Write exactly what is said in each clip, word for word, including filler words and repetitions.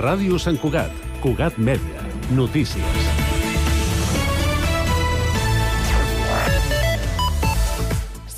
Ràdio Sant Cugat, Cugat Mèdia, notícies.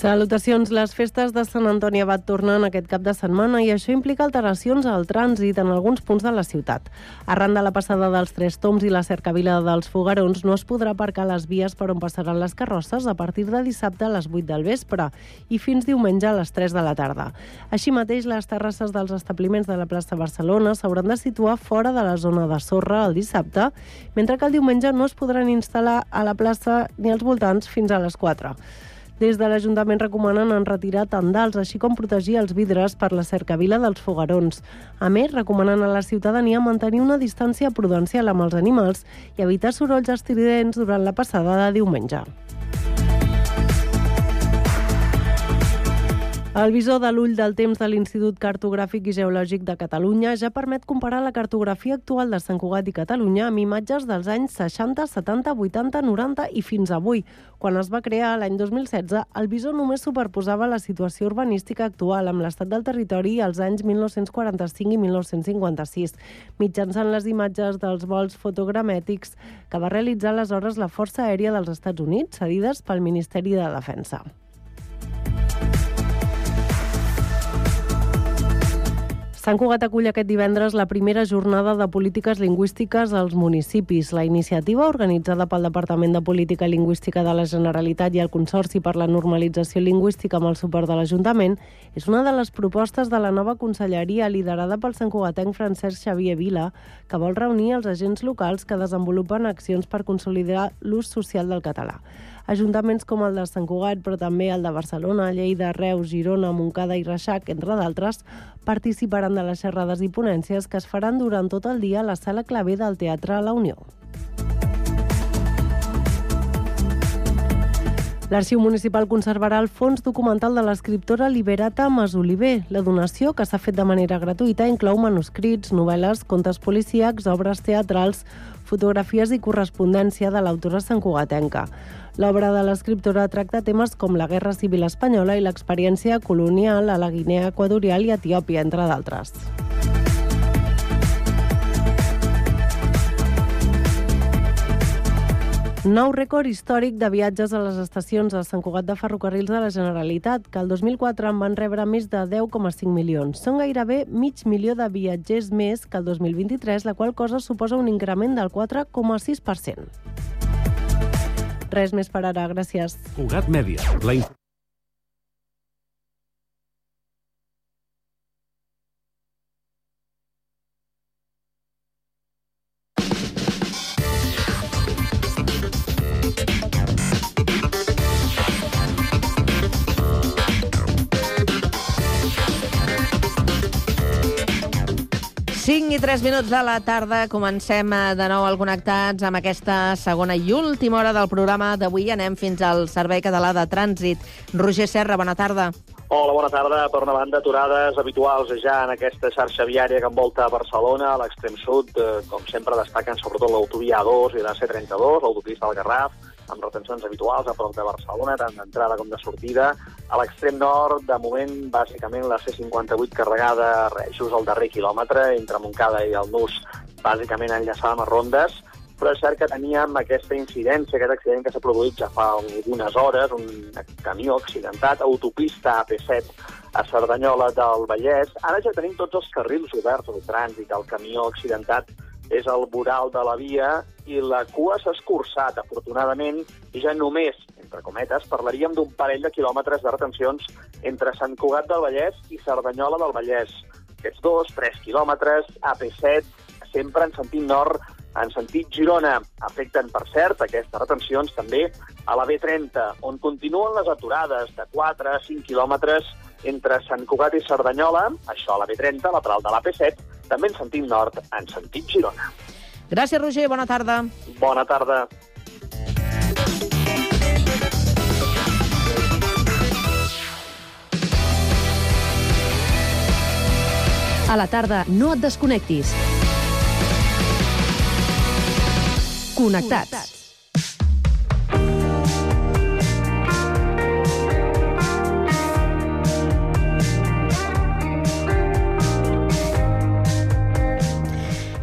Salutacions. Les festes de Sant Antoni Abat tornen aquest cap de setmana i això implica alteracions al trànsit en alguns punts de la ciutat. Arran de la passada dels Tres Tombs i la cercavila dels Foguerons, no es podrà aparcar les vies per on passaran les carrosses a partir de dissabte a les vuit del vespre i fins diumenge a les tres de la tarda. Així mateix, les terrasses dels establiments de la plaça Barcelona s'hauran de situar fora de la zona de sorra el dissabte, mentre que el diumenge no es podran instal·lar a la plaça ni als voltants fins a les quatre. Des de l'Ajuntament recomanen enretirar tendals, així com protegir els vidres per la cercavila dels Foguerons. A més, recomanen a la ciutadania mantenir una distància prudencial amb els animals i evitar sorolls estridents durant la passada de diumenge. El visor de l'ull del temps de l'Institut Cartogràfic i Geològic de Catalunya ja permet comparar la cartografia actual de Sant Cugat i Catalunya amb imatges dels anys seixanta, setanta, vuitanta, noranta i fins avui. Quan es va crear l'any dos mil setze, el visor només superposava la situació urbanística actual amb l'estat del territori als anys mil nou-cents quaranta-cinc i mil nou-cents cinquanta-sis, mitjançant les imatges dels vols fotogramètics que va realitzar aleshores la Força Aèria dels Estats Units, cedides pel Ministeri de Defensa. Sant Cugat acull aquest divendres la primera jornada de polítiques lingüístiques als municipis. La iniciativa, organitzada pel Departament de Política Lingüística de la Generalitat i el Consorci per la Normalització Lingüística amb el suport de l'Ajuntament, és una de les propostes de la nova conselleria liderada pel santcugatenc Francesc Xavier Vila, que vol reunir els agents locals que desenvolupen accions per consolidar l'ús social del català. Ajuntaments com el de Sant Cugat, però també el de Barcelona, Lleida, Reus, Girona, Montcada i Reixac, entre d'altres, participaran de les xerrades i ponències que es faran durant tot el dia a la Sala Clavé del Teatre La Unió. L'Arxiu Municipal conservarà el fons documental de l'escriptora Liberata Masoliver. La donació, que s'ha fet de manera gratuïta, inclou manuscrits, novel·les, contes policíacs, obres teatrals, fotografies i correspondència de l'autora santcugatenca. L'obra de l'escriptora tracta temes com la Guerra Civil Espanyola i l'experiència colonial a la Guinea Equatorial i Etiòpia, entre d'altres. Nou rècord històric de viatges a les estacions a Sant Cugat de Ferrocarrils de la Generalitat, que el dos mil quatre en van rebre més de deu coma cinc milions. Són gairebé mig milió de viatgers més que el dos mil vint-i-tres, la qual cosa suposa un increment del quatre coma sis per cent. Res més per ara, gràcies. Cugat Mèdia, la cinc i tres minuts de la tarda, comencem de nou al Connectats amb aquesta segona i última hora del programa d'avui. Anem fins al Servei Català de Trànsit. Roger Serra, bona tarda. Hola, bona tarda. Per una banda, aturades habituals ja en aquesta xarxa viària que envolta Barcelona, a l'extrem sud, eh, com sempre destaquen sobretot l'autovia A dos i la C trenta-dos, l'autopista del Garraf, amb retencions habituals a prop de Barcelona, tant d'entrada com de sortida. A l'extrem nord, de moment, bàsicament la C cinquanta-vuit carregada just al darrer quilòmetre, entre Montcada i el Nus, bàsicament enllaçada amb les rondes, però és cert que teníem aquesta incidència, aquest accident que s'ha produït ja fa algunes hores, un camió accidentat, autopista A P set a Cerdanyola del Vallès. Ara ja tenim tots els carrils oberts al trànsit, el camió accidentat és el voral de la via i la cua s'ha escurçat, afortunadament, i ja només, entre cometes, parlaríem d'un parell de quilòmetres de retencions entre Sant Cugat del Vallès i Cerdanyola del Vallès. Aquests dos, tres quilòmetres, A P set, sempre en sentit nord, en sentit Girona. Afecten, per cert, aquestes retencions també a la B trenta, on continuen les aturades de quatre a cinc quilòmetres entre Sant Cugat i Cerdanyola, això a la B trenta, lateral de l'A P set, també en sentit nord, en sentit Girona. Gràcies, Roger. Bona tarda. Bona tarda. A la tarda, no et desconnectis. Connectats.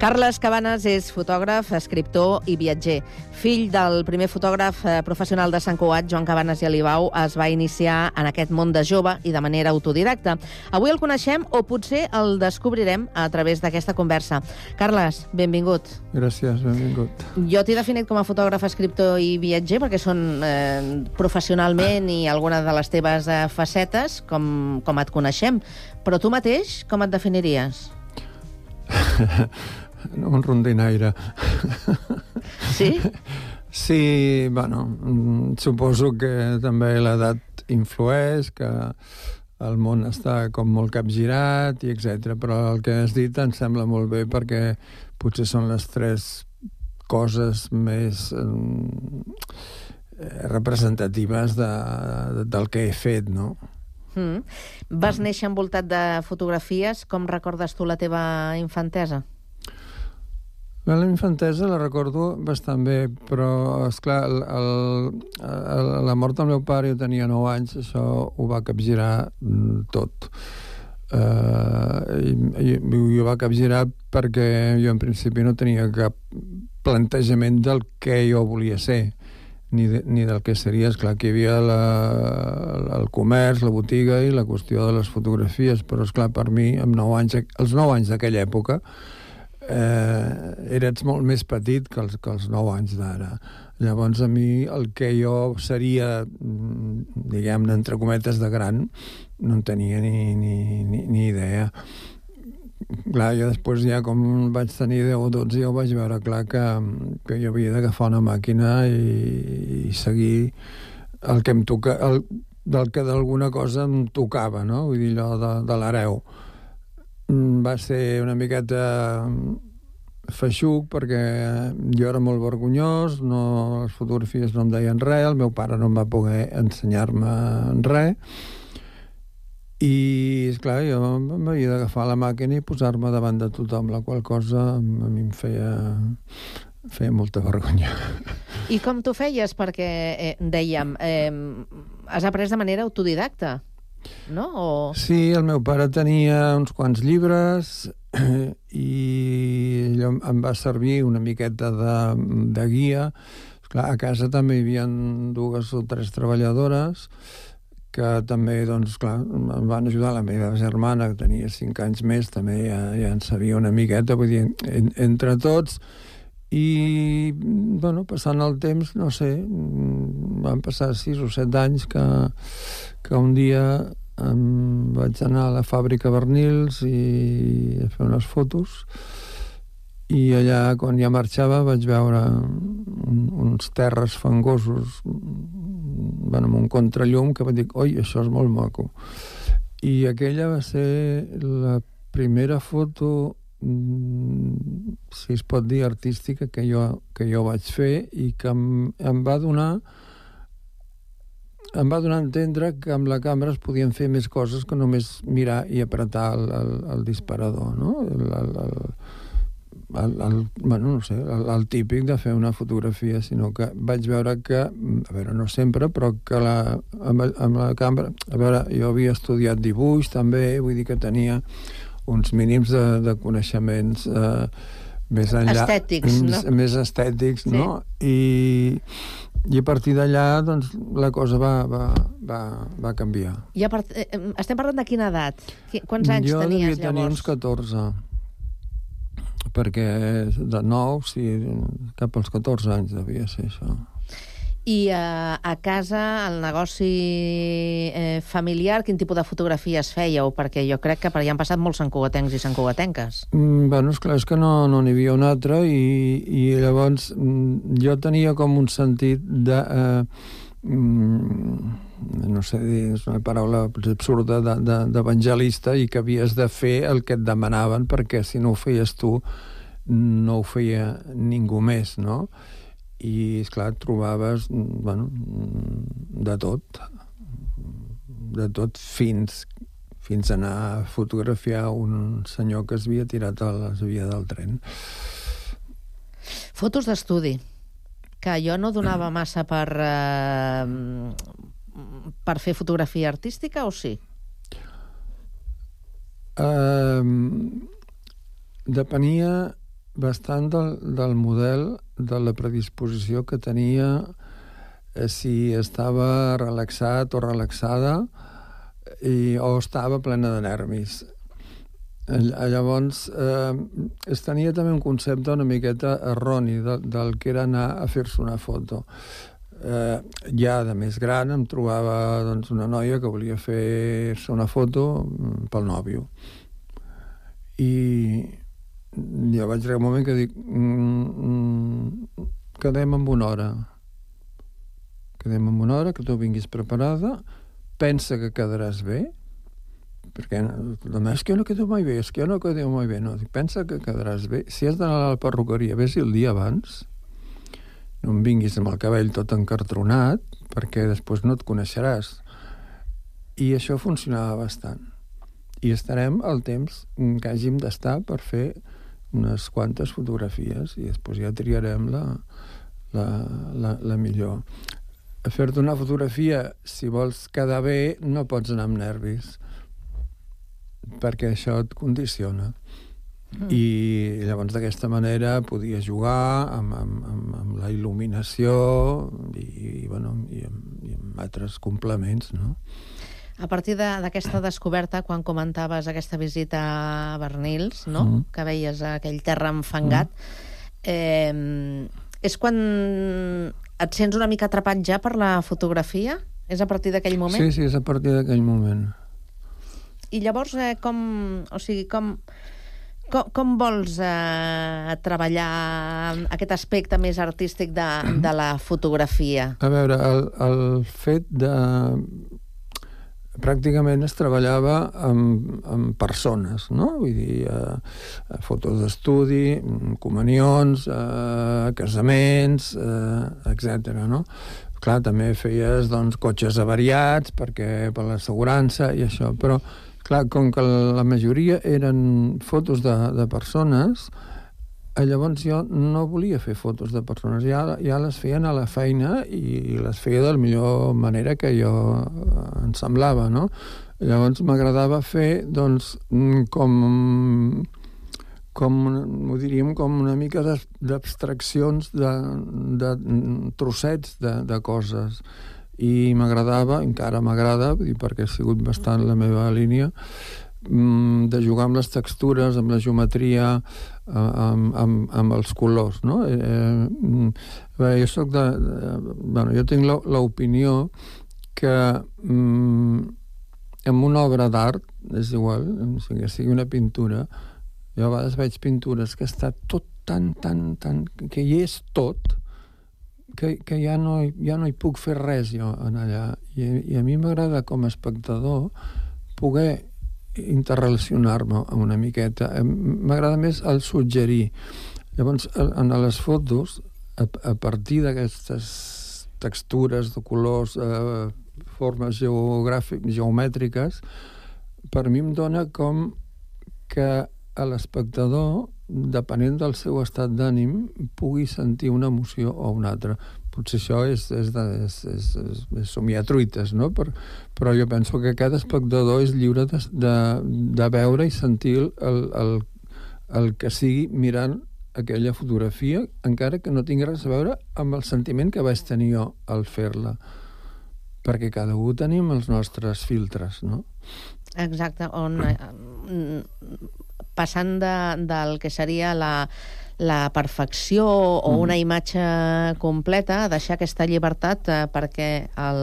Carles Cabanes és fotògraf, escriptor i viatger. Fill del primer fotògraf professional de Sant Cugat, Joan Cabanes i Alibau, es va iniciar en aquest món de jove i de manera autodidacta. Avui el coneixem o potser el descobrirem a través d'aquesta conversa. Carles, benvingut. Gràcies, benvingut. Jo t'he definit com a fotògraf, escriptor i viatger perquè són eh, professionalment i alguna de les teves eh, facetes, com, com et coneixem. Però tu mateix, com et definiries? Un rondinaire. Sí? Sí, bueno, suposo que també l'edat influeix, que el món està com molt capgirat, i etcètera. Però el que has dit em sembla molt bé perquè potser són les tres coses més eh, representatives de, de, del que he fet, no? Mm. Vas néixer envoltat de fotografies. Com recordes tu la teva infantesa? La infantesa la recordo bastant bé, però, esclar, el, el, el, la mort del meu pare, jo tenia nou anys, això ho va capgirar tot. Uh, i, i, i ho va capgirar perquè jo en principi no tenia cap plantejament del que jo volia ser, ni, de, ni del que seria. Esclar, que hi havia la, el comerç, la botiga i la qüestió de les fotografies, però, esclar, per mi, amb nou anys, els nou anys d'aquella època, Eh, eres molt més petit que els, que els nou anys d'ara. Llavors, a mi, el que jo seria, diguem-ne, entre cometes, de gran, no en tenia ni, ni, ni, ni idea. Clar, jo després ja, com vaig tenir deu o dotze, ja ho vaig veure clar que, que jo havia d'agafar una màquina i, i seguir el que em toca, el, del que d'alguna cosa em tocava, no? Vull dir, allò de, de l'hereu. Va ser una miqueta feixuc perquè jo era molt vergonyós, no, les fotografies no em deien res, el meu pare no em va poder ensenyar-me res i, esclar, jo m'havia d'agafar la màquina i posar-me davant de tothom, la qual cosa a mi em feia, feia molta vergonya. I com t'ho feies? Perquè, eh, dèiem, eh, has après de manera autodidacta, no? O... Sí, el meu pare tenia uns quants llibres i allò em va servir una miqueta de, de guia. Esclar, a casa també hi havia dues o tres treballadores que també, doncs, clar, em van ajudar. La meva germana, que tenia cinc anys més, també ja, ja en sabia una miqueta, vull dir, en, entre tots. I, bueno, passant el temps, no sé, van passar sis o set anys que, que un dia em vaig anar a la fàbrica Bernils i a fer unes fotos i allà, quan ja marxava, vaig veure un, uns terres fangosos, bueno, amb un contrallum, que vaig dir, oi, això és molt maco. I aquella va ser la primera foto, si es pot dir, artística que jo, que jo vaig fer i que em, em va donar em va donar a entendre que amb la càmera es podien fer més coses que només mirar i apretar el, el, el disparador, no? El, el, el, el, el, bueno, no sé, el, el típic de fer una fotografia, sinó que vaig veure que, a veure, no sempre, però que la, amb, amb la càmera, a veure, jo havia estudiat dibuix també, vull dir que tenia uns mínims de, de coneixements eh, més enllà... Estètics, no? Més, més estètics, sí. No? I, i a partir d'allà, doncs, la cosa va, va, va, va canviar. I a part... Estem parlant de quina edat? Quants anys jo tenies, llavors? Jo devia tenir uns catorze, perquè de nou, sí, cap als catorze anys devia ser això. I uh, a casa, el negoci eh, familiar, quin tipus de fotografies fèieu? Perquè jo crec que per allà han passat molts santcugatencs i santcugatenques. Mm, bueno, esclar, és que no no n'hi havia un altre i, i llavors mm, jo tenia com un sentit de... Eh, mm, no sé dir, és una paraula absurda, d'evangelista, i que havies de fer el que et demanaven, perquè si no ho feies tu no ho feia ningú més, no? I, esclar, trobaves, bueno, de tot, de tot fins, fins a anar a fotografiar un senyor que es havia tirat a la via del tren. Fotos d'estudi, que jo no donava massa per, eh, per fer fotografia artística, o sí? Uh, depenia bastant del, del model, de la predisposició que tenia, eh, si estava relaxat o relaxada i, o estava plena de nervis. Llavors, eh, es tenia també un concepte una miqueta erroni de, del que era anar a fer-se una foto. Eh, ja de més gran em trobava doncs, una noia que volia fer-se una foto pel nòvio. I jo vaig arribar un moment que dic mm, mm, quedem en una hora. Quedem en una hora, que tu vinguis preparada, pensa que quedaràs bé, perquè és que jo no quedo mai bé, és que jo no quedo mai bé. No, pensa que quedaràs bé. Si has d'anar a la perruqueria, vés-hi el dia abans, no em vinguis amb el cabell tot encartronat, perquè després no et coneixeràs. I això funcionava bastant. I estarem el temps que hàgim d'estar per fer unes quantes fotografies i després ja triarem la, la, la, la millor. A fer-te una fotografia, si vols quedar bé, no pots anar amb nervis, perquè això et condiciona. Mm. I llavors d'aquesta manera podia jugar amb, amb, amb, amb la il·luminació i, i, bueno, i, amb, i amb altres complements, no? A partir d'aquesta de, descoberta, quan comentaves aquesta visita a Bernils, no? Mm. Que veies aquell terra enfangat, mm. eh, és quan et sents una mica atrapat ja per la fotografia? És a partir d'aquell moment? Sí, sí, és a partir d'aquell moment. I llavors, eh, com, o sigui, com, com, com vols eh, treballar aquest aspecte més artístic de, de la fotografia? A veure, el, el fet de... Pràcticament es treballava amb, amb persones, no? Vull dir, eh, fotos d'estudi, comunions, eh, casaments, eh, etcètera, no? Clar, també feies, doncs, cotxes avariats perquè per l'assegurança i això, però clar, com que la majoria eren fotos de, de persones, llavors jo no volia fer fotos de persones, ja, ja les feien a la feina i les feia de la millor manera que jo em semblava, no? Llavors m'agradava fer, doncs, com, com ho diríem, com una mica d'abstraccions de, de trossets de, de coses. I m'agradava, encara m'agrada, perquè ha sigut bastant la meva línia, de jugar amb les textures, amb la geometria, amb, amb, amb els colors, no? Eh, bé, jo soc de, de... Bueno, jo tinc l'opinió que mm, en una obra d'art, és igual, que sigui una pintura, jo a vegades veig pintures que està tot tan, tan, tan... que hi és tot, que, que ja, no, ja no hi puc fer res jo en allà. I, i a mi m'agrada com a espectador poder interrelacionar-me una miqueta. M'agrada més el suggerir. Llavors, en les fotos, a, a partir d'aquestes textures de colors, eh, formes geogràfiques, geomètriques, per mi em dona com que a l'espectador, depenent del seu estat d'ànim, pugui sentir una emoció o una altra. Potser això és, és, de, és, és, és, és somiar truites, no? Per, però jo penso que cada espectador és lliure de, de, de veure i sentir el, el, el que sigui mirant aquella fotografia, encara que no tingui res a veure amb el sentiment que vaig tenir jo al fer-la. Perquè cada un tenim els nostres filtres, no? Exacte, on eh, passant de, del que seria la, la perfecció o una imatge completa, deixar aquesta llibertat eh, perquè el,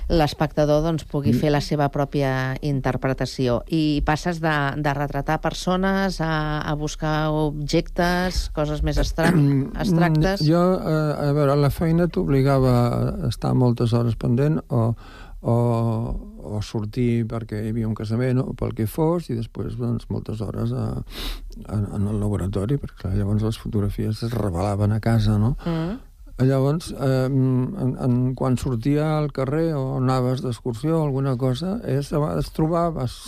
l'espectador doncs, pugui fer la seva pròpia interpretació. I passes de, de retratar persones a, a buscar objectes, coses més abstrac abstractes? Jo, a veure, la feina t'obligava a estar moltes hores pendent o O, o sortir perquè hi havia un casament o pel que fos, i després doncs, moltes hores a, a, en el laboratori, perquè clar, llavors les fotografies es revelaven a casa, no? Mm. Llavors, eh, en, en, quan sortia al carrer o anaves d'excursió o alguna cosa, és, a vegades trobaves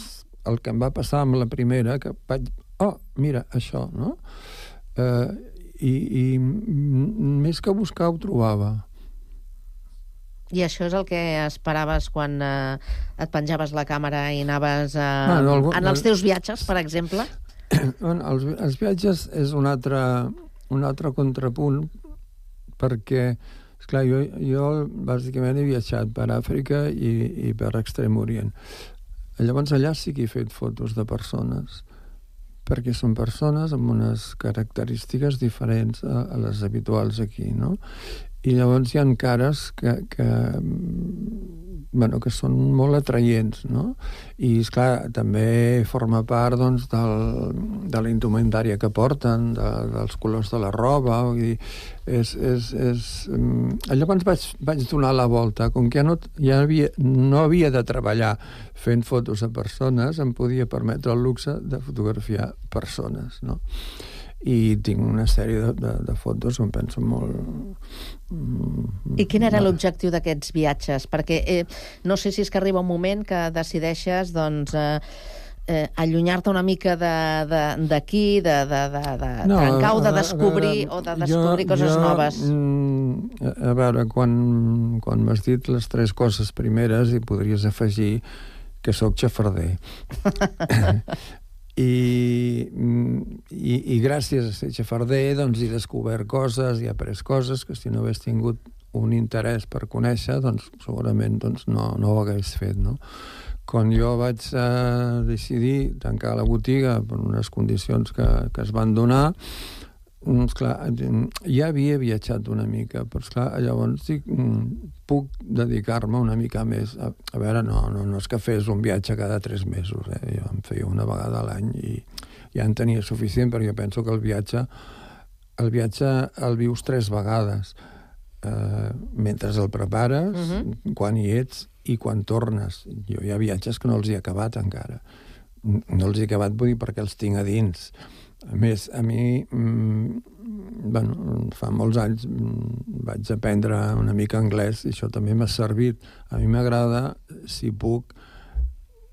el que em va passar amb la primera, que vaig... Oh, mira, això, no? Eh, i, I més que buscar ho trobava. I això és el que esperaves quan eh, et penjaves la càmera i anaves eh, ah, no, algun... en els teus viatges, per exemple? Bueno, els, els viatges és un altre, un altre contrapunt, perquè, esclar, jo, jo bàsicament he viatjat per Àfrica i, i per Extrem Orient. Llavors allà sí que he fet fotos de persones, perquè són persones amb unes característiques diferents a, a les habituals aquí, no? I llavors hi ha cares que, que, bueno, que són molt atraients, no? I, esclar, també forma part, doncs, del, de la indumentària que porten, de, dels colors de la roba, vull dir, és... és, és... Llavors vaig, vaig donar la volta, com que ja, no, ja havia, no havia de treballar fent fotos a persones, em podia permetre el luxe de fotografiar persones, no? I tinc una sèrie de, de, de fotos que em penso molt... I quin era l'objectiu d'aquests viatges? Perquè eh, no sé si és que arriba un moment que decideixes, doncs, eh, eh, allunyar-te una mica d'aquí, de, de, de, de, de no, trencar o de descobrir, veure, o de descobrir jo, coses jo, noves. Mm, a veure, quan, quan m'has dit les tres coses primeres, hi podries afegir que sóc xafarder. I, i, i gràcies a ser xafarder doncs he descobert coses, he après coses que si no hagués tingut un interès per conèixer, doncs segurament doncs, no, no ho hagués fet, no? Quan jo vaig eh, decidir tancar la botiga per unes condicions que, que es van donar, esclar, ja havia viatjat una mica, però esclar, llavors dic, puc dedicar-me una mica més. A, a veure, no, no, no és que fes un viatge cada tres mesos, eh? Jo em feia una vegada a l'any i ja en tenia suficient, perquè jo penso que el viatge el viatge el vius tres vegades, eh, mentre el prepares, uh-huh. quan hi ets i quan tornes. Jo hi ha viatges que no els he acabat encara. No els he acabat, vull dir, perquè els tinc a dins. A més, a mi, mmm, bueno, fa molts anys mmm, vaig aprendre una mica anglès i això també m'ha servit. A mi m'agrada, si puc,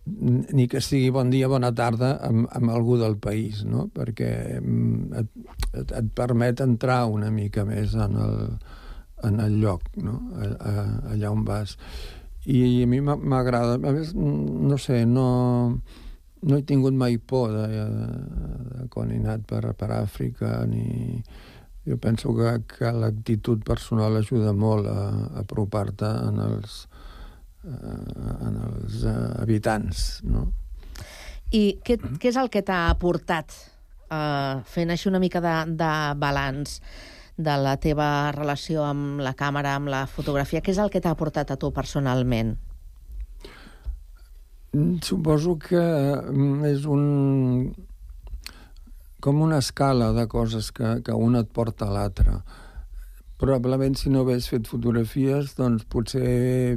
ni que sigui bon dia, bona tarda, amb, amb algú del país, no? Perquè et, et, et permet entrar una mica més en el, en el lloc, no? A, a, allà on vas. I a mi m'agrada. A més, no sé, no... No he tingut mai por de, de quan he anat per, per Àfrica, ni... Jo penso que, que l'actitud personal ajuda molt a, a apropar-te en els, en els habitants, no? I què, què és el que t'ha aportat, eh, fent així una mica de, de balanç de la teva relació amb la càmera, amb la fotografia? Què és el que t'ha aportat a tu personalment? Suposo que és un... com una escala de coses que, que una et porta a l'altra. Probablement, si no hagués fet fotografies, doncs potser,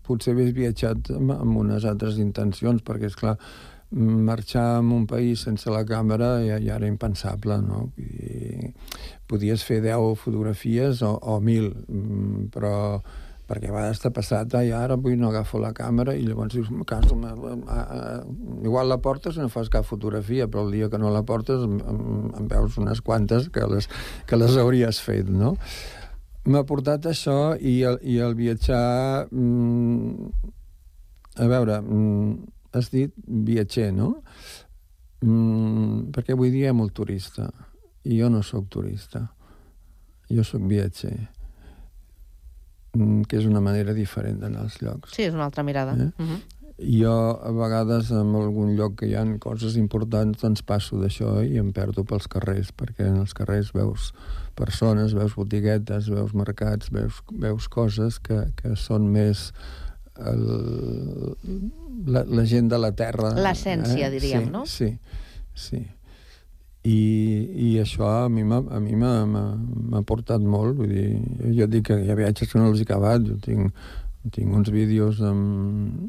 potser hagués viatjat amb, amb unes altres intencions, perquè, esclar, marxar en un país sense la càmera ja, ja era impensable, no? I podies fer deu fotografies o, o mil, però... perquè a vegades t'ha passat, ai, ara avui no agafo la càmera, i llavors dius, caso, igual la portes i no fas cap fotografia, però el dia que no la portes em, em veus unes quantes que les, que les hauries fet, no? M'ha portat això i el, i el viatjar... Mmm, a veure, mmm, has dit viatger, no? Mmm, perquè avui dia hi ha molt turista, i jo no sóc turista, jo sóc viatger, que és una manera diferent d'anar als llocs. Sí, és una altra mirada. Eh? Uh-huh. Jo, a vegades, en algun lloc que hi ha coses importants, doncs passo d'això i em perdo pels carrers, perquè en els carrers veus persones, veus botiguetes, veus mercats, veus, veus coses que, que són més el, la, la gent de la terra. L'essència, eh? diríem, sí, no? Sí, sí. I, i això a mi m'ha a mi m'ha portat molt, vull dir, jo dic que hi ha viatges que no els he acabat, jo tinc, tinc uns vídeos amb,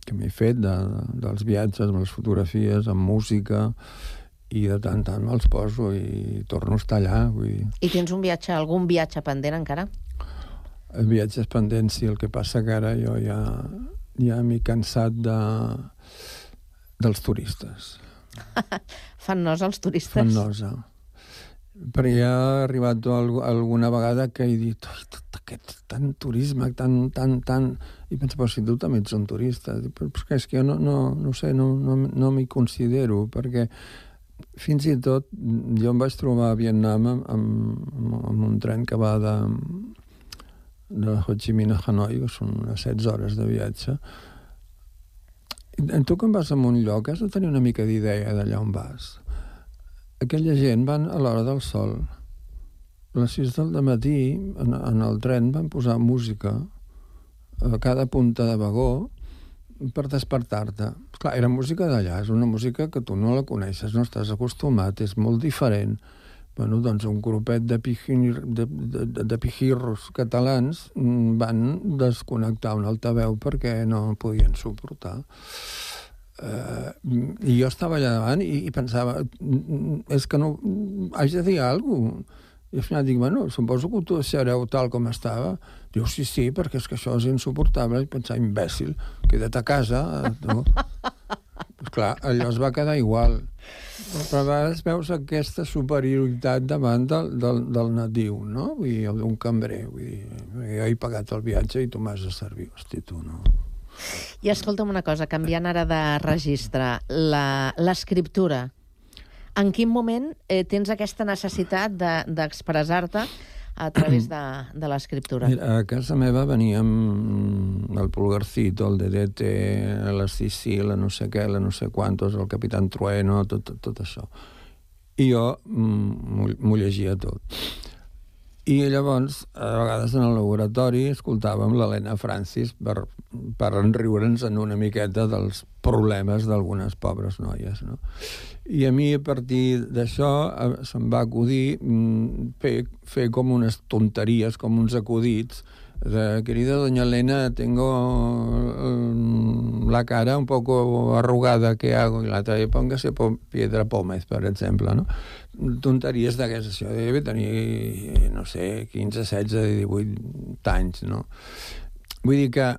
que m'he fet de, de, dels viatges, amb les fotografies, amb música, i de tant tant me'ls poso i torno a estar allà, vull dir. I tens un viatge, algun viatge pendent encara? El viatge és pendent, sí, el que passa que ara jo ja, ja m'he cansat de, dels turistes. Fan nosa els turistes. Fan nosa. Però ja ha arribat alguna vegada que he dit, oi, tot aquest tant turisme, tant, tant, tant... I penso, però si tu també ets un turista. Però és que jo no, no, no sé, no, no, no m'hi considero, perquè fins i tot, jo em vaig trobar a Vietnam amb, amb, amb un tren que va de, de Ho Chi Minh a Hanoi, que són unes setze hores de viatge. I tu quan vas a un lloc has de tenir una mica d'idea d'allà on vas. Aquella gent van a l'hora del sol. A les sis del matí, en, en el tren, van posar música a cada punta de vagó per despertar-te. Clar, era música d'allà, és una música que tu no la coneixes, no estàs acostumat, és molt diferent. Bueno, doncs un grupet de, pijir, de, de, de, de pijirros catalans van desconnectar un altaveu perquè no podien suportar. Uh, I jo estava allà davant i, i pensava, és que no... haig de dir alguna cosa. I al final dic, bueno, suposo que tu deixareu tal com estava. Diu, sí, sí, perquè és que això és insuportable. I pensava, imbècil, queda't a casa. Tu. Pues clar, allò es va quedar igual. Però a vegades veus aquesta superioritat davant del, del, del natiu, no? Vull dir, d'un cambrer. Vull dir, jo he pagat el viatge i tu m'has de servir. Hosti, tu, no? I escolta'm una cosa, canviant ara de registre, l'escriptura. En quin moment eh, tens aquesta necessitat d'expressar-te a través de, de l'escriptura? Mira, a casa meva veníem el Pulgarcito, el Dedete, la Sissi, la no sé què, la no sé quantos, el Capitán Trueno, tot, tot, tot això. I jo m'ho llegia tot. I llavors, a vegades en el laboratori, escoltàvem l'Helena Francis per, per enriure'ns en una miqueta dels problemes d'algunes pobres noies, no? I a mi, a partir d'això, se'm va acudir fer, fer com unes tonteries, com uns acudits, de, querida doña Elena, tengo la cara un poco arrugada, ¿qué hago? I l'altra, póngase Piedra Pómez, per exemple, no? Tonteries d'aquestes, això deve tenir, no sé, quinze, setze, divuit anys, no? Vull dir que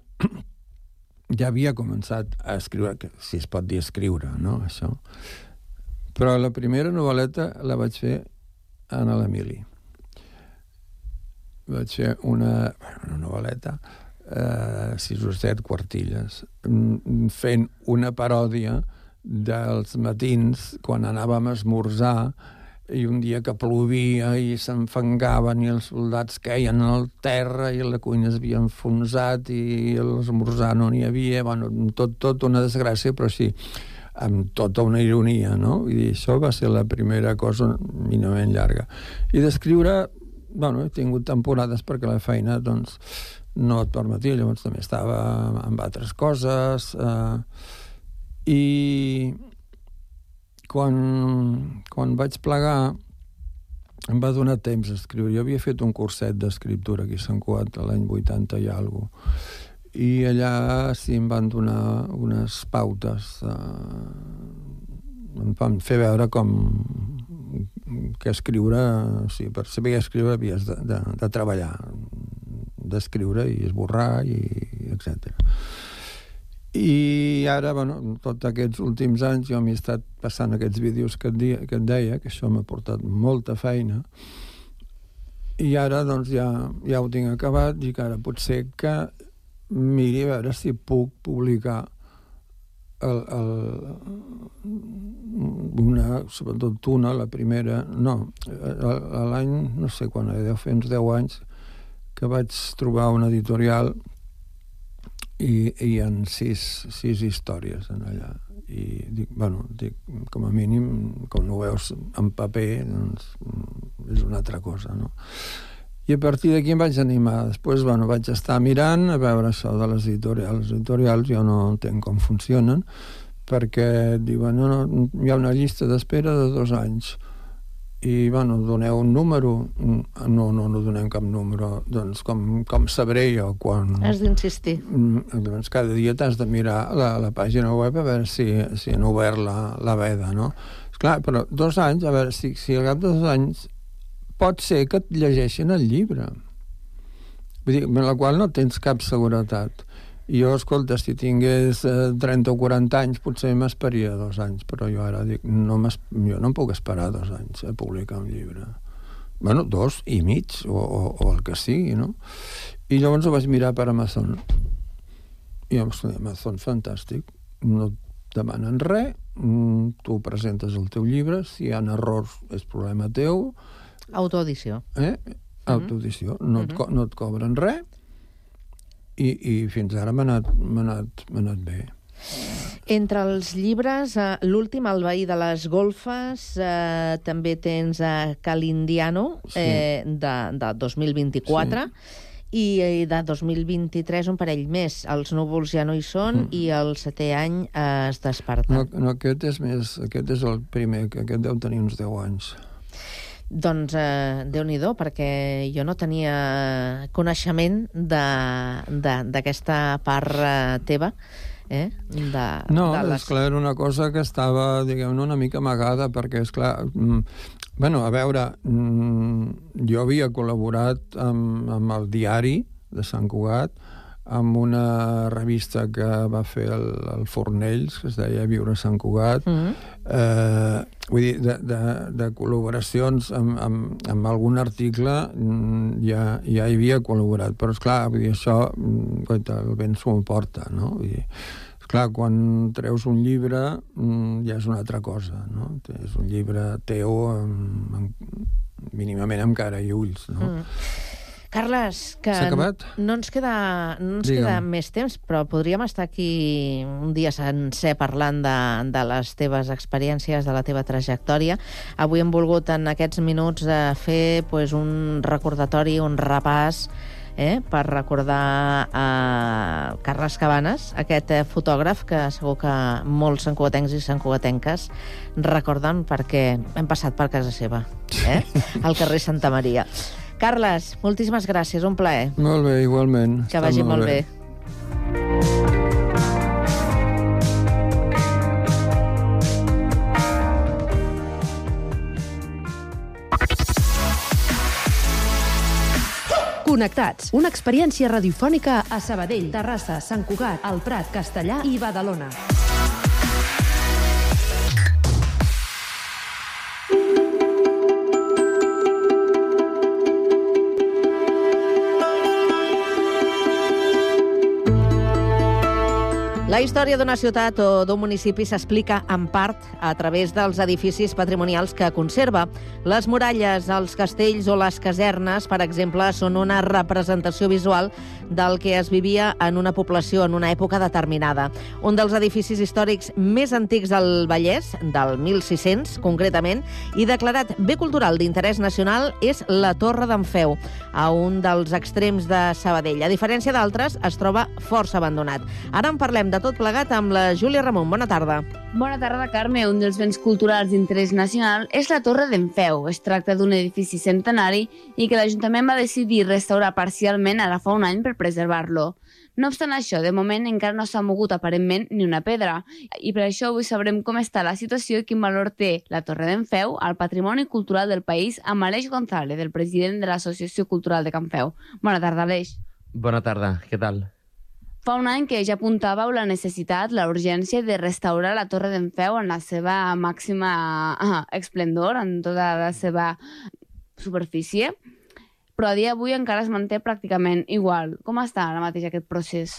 ja havia començat a escriure, que si es pot dir escriure, no?, això. Però la primera novel·leta la vaig fer en l'Emili. Vaig fer una, una novel·leta, eh, sis o set quartilles, fent una paròdia dels matins quan anàvem a esmorzar i un dia que plovia i s'enfangaven i els soldats queien al terra i la cuina es havia enfonsat i l'esmorzar no n'hi havia, bueno, tot, tot una desgràcia, però sí, amb tota una ironia, no? Vull dir, això va ser la primera cosa mínimament llarga. I d'escriure, bueno, he tingut temporades perquè la feina, doncs, no et permetia, llavors també estava amb altres coses, eh, i quan, quan vaig plegar em va donar temps a escriure. Jo havia fet un curset d'escriptura aquí a Sant Cugat l'any vuitanta i alguna cosa. I allà sí em van donar unes pautes, eh, em van fer veure com que escriure, o sigui, per saber escriure havies de, de, de treballar, d'escriure i esborrar, i etcètera. I ara, bueno, tots aquests últims anys jo m'he estat passant aquests vídeos que et, dia, que et deia, que això m'ha portat molta feina, i ara doncs ja, ja ho tinc acabat i que ara potser que miri a veure si puc publicar el, el, una, sobretot una, la primera, no, l'any, no sé quan, deu fer uns deu anys, que vaig trobar una editorial i hi ha sis, sis històries en allà. I dic, bueno, dic, com a mínim, com ho veus en paper, doncs és una altra cosa, no? I a partir d'aquí em vaig animar. Després, bueno, vaig estar mirant a veure això de les editorials. Les editorials jo no entenc com funcionen, perquè diuen, no, no, hi ha una llista d'espera de dos anys. I, bueno, doneu un número. No, no, no donem cap número. Doncs com, com sabré jo quan... Has d'insistir. Doncs cada dia t'has de mirar la, la pàgina web a veure si, si han obert la, la veda, no? Esclar, però dos anys, a veure, si, si al cap de dos anys pot ser que et llegeixin el llibre. Vull dir, amb la qual no tens cap seguretat. I jo, escolta, si tingués eh, trenta o quaranta anys, potser m'esperaria dos anys, però jo ara dic, no jo no em puc esperar dos anys a publicar un llibre. Bueno, dos i mig, o, o, o el que sigui, no? I llavors ho vaig mirar per Amazon. I Amazon, fantàstic. No demanen res, tu presentes el teu llibre, si hi ha errors és problema teu. Autoedició. Eh? Autoedició. No, et, no et cobren res i, i fins ara m'ha anat, m'ha anat, m'ha anat bé. Entre els llibres, eh, l'últim, El veí de les golfes, eh, també tens a Calindiano, Sí. eh, de, de dos mil vint-i-quatre, i eh, de dos mil vint-i-tres un parell més. Els núvols ja no hi són i el setè any eh, es desperta. No, no, aquest és més, aquest és el primer, que aquest deu tenir uns deu anys. Doncs eh, Déu-n'hi-do, perquè jo no tenia coneixement d'aquesta part eh, teva. Eh? De, No, de les... esclar, era una cosa que estava, diguem-ne, una mica amagada, perquè, esclar, mm, bueno, a veure, mm, jo havia col·laborat amb, amb el diari de Sant Cugat, amb una revista que va fer el, el Fornells, que es deia Viure a Sant Cugat. Mm-hmm. eh, vull dir, de, de, de col·laboracions amb, amb, amb algun article ja, ja hi havia col·laborat, però esclar, vull dir, això coita, el vent s'ho porta, no? Vull dir, esclar, quan treus un llibre ja és una altra cosa, no? És un llibre teu amb, amb, mínimament amb cara i ulls, no? Mm. Carles, que no ens queda, no ens queda més temps, però podríem estar aquí un dia sencer parlant de, de les teves experiències, de la teva trajectòria. Avui hem volgut en aquests minuts fer pues, un recordatori, un repàs, eh, per recordar a Carles Cabanes, aquest eh, fotògraf que segur que molts santcugatencs i santcugatenques recorden perquè hem passat per casa seva, eh, al carrer Santa Maria. Carles, moltíssimes gràcies, un plaer. Molt bé, igualment. Que vagi molt bé. Connectats, una experiència radiofònica a Sabadell, Terrassa, Sant Cugat, El Prat, Castellar i Badalona. La història d'una ciutat o d'un municipi s'explica en part a través dels edificis patrimonials que conserva. Les muralles, els castells o les casernes, per exemple, són una representació visual del que es vivia en una població en una època determinada. Un dels edificis històrics més antics del Vallès, del mil sis-cents concretament, i declarat bé cultural d'interès nacional, és la Torre d'en Feu, a un dels extrems de Sabadell. A diferència d'altres, es troba força abandonat. Ara en parlem de tot plegat amb la Júlia Ramon. Bona tarda. Bona tarda, Carme. Un dels béns culturals d'interès nacional és la Torre d'en Feu. Es tracta d'un edifici centenari i que l'Ajuntament va decidir restaurar parcialment ara fa un any per preservar-lo. No obstant això, de moment encara no s'ha mogut aparentment ni una pedra. I per això avui sabrem com està la situació i quin valor té la Torre d'en Feu al patrimoni cultural del país amb Aleix González, el president de l'Associació Cultural de Can Feu. Bona tarda, Aleix. Bona tarda, què tal? Fa un any que ja apuntàveu la necessitat, la urgència de restaurar la Torre d'en Feu en la seva màxima ah, esplendor, en tota la seva superfície, però a dia d'avui encara es manté pràcticament igual. Com està ara mateix aquest procés?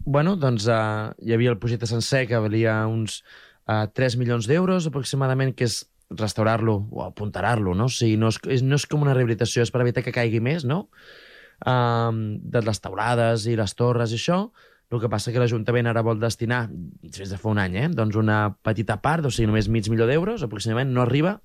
Bueno, doncs uh, hi havia el projecte sencer que valia uns uh, tres milions d'euros aproximadament, que és restaurar-lo o apuntarar-lo, no? O sigui, no és, no és com una rehabilitació, és per evitar que caigui més, no? Um, de les taulades i les torres i això. El que passa que l'Ajuntament ara vol destinar, des de fa un any, eh, doncs una petita part, o sigui, només mig milió d'euros, aproximadament, no arriba,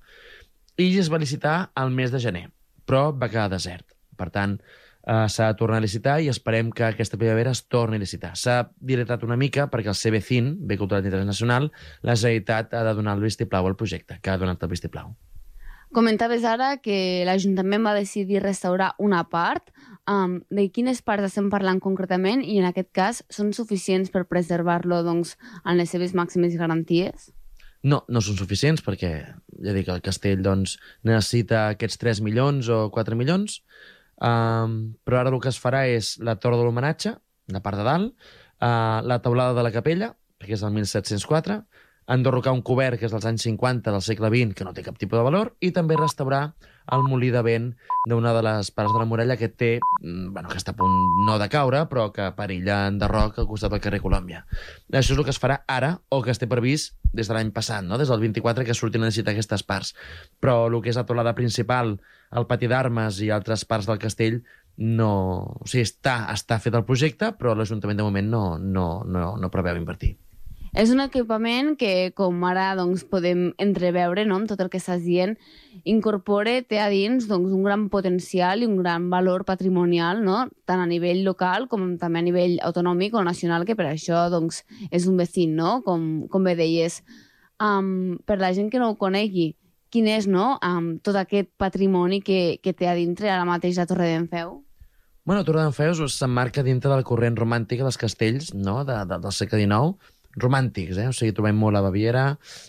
i es va licitar al mes de gener, però va quedar desert. Per tant, uh, s'ha de tornar a licitar i esperem que aquesta primavera es torni a licitar. S'ha dilatat una mica perquè el C B C I N, Bé Cultural d'Interès Nacional, la Generalitat ha de donar el vistiplau al projecte, que ha donat el vistiplau. Comentaves ara que l'Ajuntament va decidir restaurar una part. Um, de quines parts estem parlant concretament i en aquest cas són suficients per preservar-lo doncs, en les seves màximes garanties? No, no són suficients perquè ja dic, el castell doncs, necessita aquests tres milions o quatre milions, um, però ara el que es farà és la torre de l'homenatge, la part de dalt, uh, la teulada de la capella, perquè és del mil set-cents quatre, enderrocar un cobert que és dels anys cinquanta del segle vint, que no té cap tipus de valor, i també restaurar el molí de vent d'una de les parts de la muralla que té, bueno, que està a punt no de caure, però que perilla enderroc al costat del carrer Colòmbia. Això és el que es farà ara, o que es té previst des de l'any passat, no? Des del vint-i-quatre, que surtin a necessitar aquestes parts. Però el que és la teulada principal, el pati d'armes i altres parts del castell, no... O sigui, està, està fet el projecte, però l'Ajuntament de moment no, no, no, no preveu invertir. És un equipament que, com ara doncs, podem entreveure, no?, amb tot el que estàs dient, incorpora, té a dins doncs, un gran potencial i un gran valor patrimonial, no?, tant a nivell local com també a nivell autonòmic o nacional, que per això doncs, és un vecín, no?, com, com bé deies. Um, per la gent que no ho conegui, quin és, no?, um, tot aquest patrimoni que, que té a dintre ara mateix la Torre d'en Feu? Bueno, la Torre d'en Feu s'emmarca dintre del corrent romàntic dels castells, no?, de, de, del segle dinou, romàntics, eh? O sigui, trobem molt a Baviera,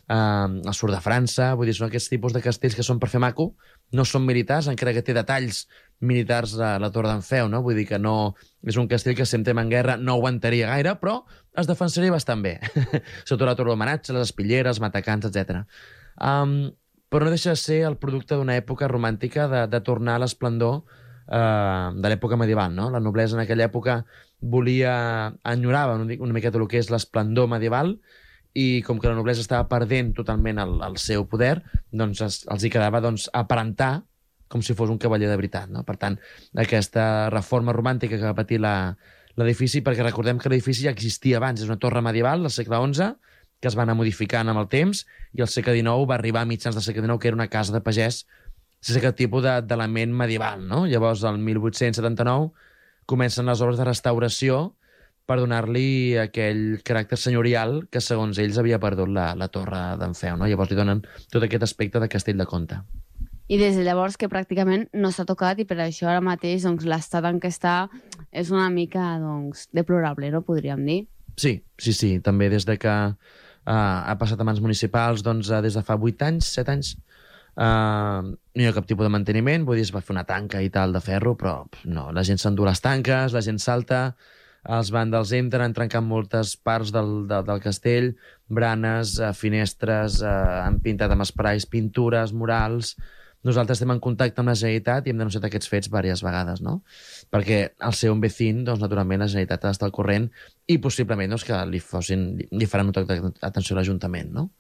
eh, al sud de França, vull dir, són aquests tipus de castells que són per fer maco, no són militars, encara que té detalls militars a la Torre d'en Feu, no? Vull dir que no... És un castell que si entrem en guerra no aguantaria gaire, però es defensaria bastant bé. Sobretot la torre d'homenatge, les espilleres, matacans, etcètera. Um, però no deixa de ser el producte d'una època romàntica de, de tornar a l'esplendor uh, de l'època medieval, no? La noblesa en aquella època volia, enyorava una, una miqueta el que és l'esplendor medieval, i com que la noblesa estava perdent totalment el, el seu poder, doncs es, els hi quedava doncs, aparentar com si fos un cavaller de veritat, no? Per tant, aquesta reforma romàntica que va patir l'edifici, perquè recordem que l'edifici ja existia abans, és una torre medieval del segle onze, que es va anar modificant amb el temps, i el segle dinou va arribar a mitjans del segle dinou, que era una casa de pagès sense aquest tipus d'element medieval, no? Llavors, el mil vuit-cents setanta-nou, comencen les obres de restauració per donar-li aquell caràcter senyorial que, segons ells, havia perdut la, la Torre d'en Feu, no? Llavors li donen tot aquest aspecte de castell de Comte. I des de llavors que pràcticament no s'ha tocat, i per això ara mateix doncs, l'estat en què està és una mica doncs, deplorable, no podríem dir? Sí, sí, sí. També des de que uh, ha passat a mans municipals, doncs, uh, des de fa vuit anys, set anys, Uh, no hi ha cap tipus de manteniment, vull dir, es va fer una tanca i tal de ferro, però no, la gent s'endú les tanques, la gent salta, els vàndals entren, han trencat moltes parts del, del, del castell, branes, uh, finestres, uh, han pintat amb esprais, pintures, murals. Nosaltres estem en contacte amb la Generalitat i hem denunciat aquests fets diverses vegades, no? Perquè al ser un vecín, doncs, naturalment, la Generalitat ha d'estar al corrent i possiblement doncs, que li, fossin, li faran un toc d'atenció a l'Ajuntament, no?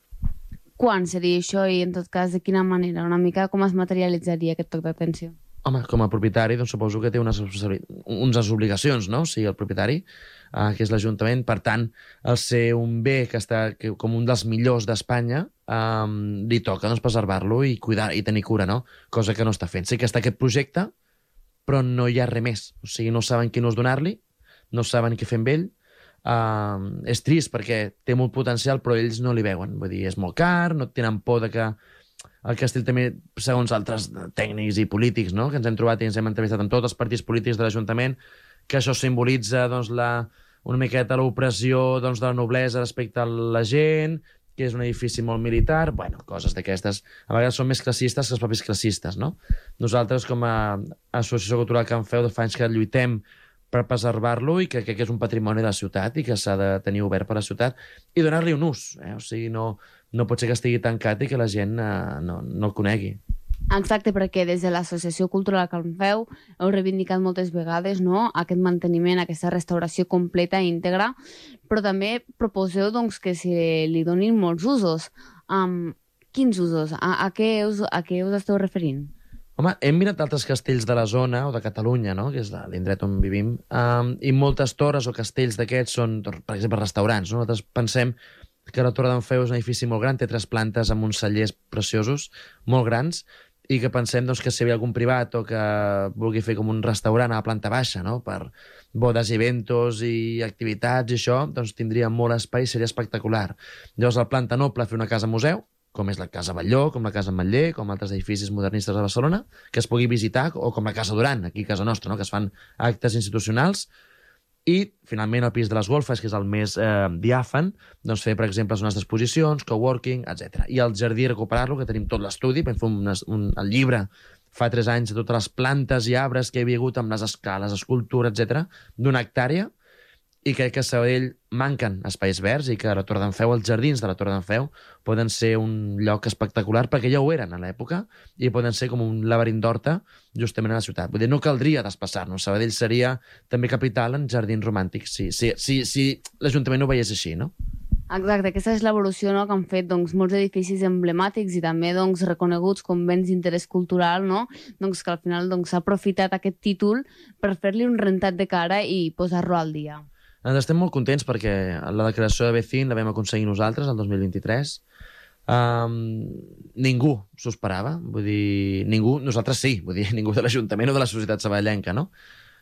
Quan seria això i, en tot cas, de quina manera? Una mica com es materialitzaria aquest toc d'atenció? Home, com a propietari, doncs suposo que té unes, unes obligacions, no? O sigui, el propietari, eh, que és l'Ajuntament, per tant, el ser un bé que està que, com un dels millors d'Espanya, eh, li toca doncs, preservar-lo i cuidar i tenir cura, no? Cosa que no està fent. Sí que està aquest projecte, però no hi ha res més. O sigui, no saben quin ús donar-li, no saben què fer amb ell. Uh, és trist perquè té molt potencial, però ells no li veuen. Vull dir, és molt car, no tenen por de que el castell també, segons altres tècnics i polítics, no?, que ens hem trobat i ens hem entrevistat amb tots els partits polítics de l'Ajuntament, que això simbolitza doncs, la, una miqueta l'opressió doncs, de la noblesa respecte a la gent, que és un edifici molt militar, bueno, coses d'aquestes. A vegades són més classistes que els propis classistes, no? Nosaltres, com a Associació Cultural Can Feu, de fa anys que lluitem per preservar-lo i que crec que és un patrimoni de la ciutat i que s'ha de tenir obert per la ciutat i donar-li un ús. Eh? O sigui, no, no pot ser que estigui tancat i que la gent eh, no, no el conegui. Exacte, perquè des de l'Associació Cultural Can Feu heu reivindicat moltes vegades, no?, aquest manteniment, aquesta restauració completa i íntegra, però també proposeu doncs, que se li donin molts usos. Um, quins usos? A, a, què us, a què us esteu referint? Home, hem mirat altres castells de la zona o de Catalunya, no?, que és l'indret on vivim, um, i moltes torres o castells d'aquests són, per exemple, restaurants. No? Nosaltres pensem que la Torre d'en Feu és un edifici molt gran, té tres plantes amb uns cellers preciosos, molt grans, i que pensem doncs, que si hi havia algun privat o que vulgui fer com un restaurant a la planta baixa, no?, per bodes i eventos i activitats i això, doncs tindria molt espai i seria espectacular. Llavors, a la planta noble, fer una casa museu, com és la Casa Batlló, com la Casa Ametller, com altres edificis modernistes de Barcelona, que es pugui visitar, o com la Casa Duran, aquí a casa nostra, no?, que es fan actes institucionals. I, finalment, el pis de les golfes, que és el més eh, diàfan, doncs fer, per exemple, zones d'exposicions, coworking, etcètera. I el jardí, recuperar-lo, que tenim tot l'estudi, vam fer un, un, el llibre fa tres anys de totes les plantes i arbres que hi havia hagut amb les escales, escultura, etcètera, d'una hectàrea, i crec que a Sabadell manquen espais verds i que a la Torre d'en Feu, els jardins de la Torre d'en Feu, poden ser un lloc espectacular, perquè ja ho eren a l'època, i poden ser com un laberint d'horta justament a la ciutat. Vull dir, no caldria desplaçar-nos. Sabadell seria també capital en jardins romàntics, si, si, si, si l'Ajuntament ho veiés així, no? Exacte, aquesta és l'evolució, no?, que han fet doncs, molts edificis emblemàtics i també doncs, reconeguts com béns d'interès cultural, no?, doncs, que al final doncs, s'ha aprofitat aquest títol per fer-li un rentat de cara i posar-lo al dia. Ens estem molt contents perquè la declaració de B C I N la vam aconseguir nosaltres el dos mil vint-i-tres. Um, ningú s'ho esperava, vull dir, ningú, nosaltres sí, vull dir, ningú de l'Ajuntament o de la societat sabadellenca, no?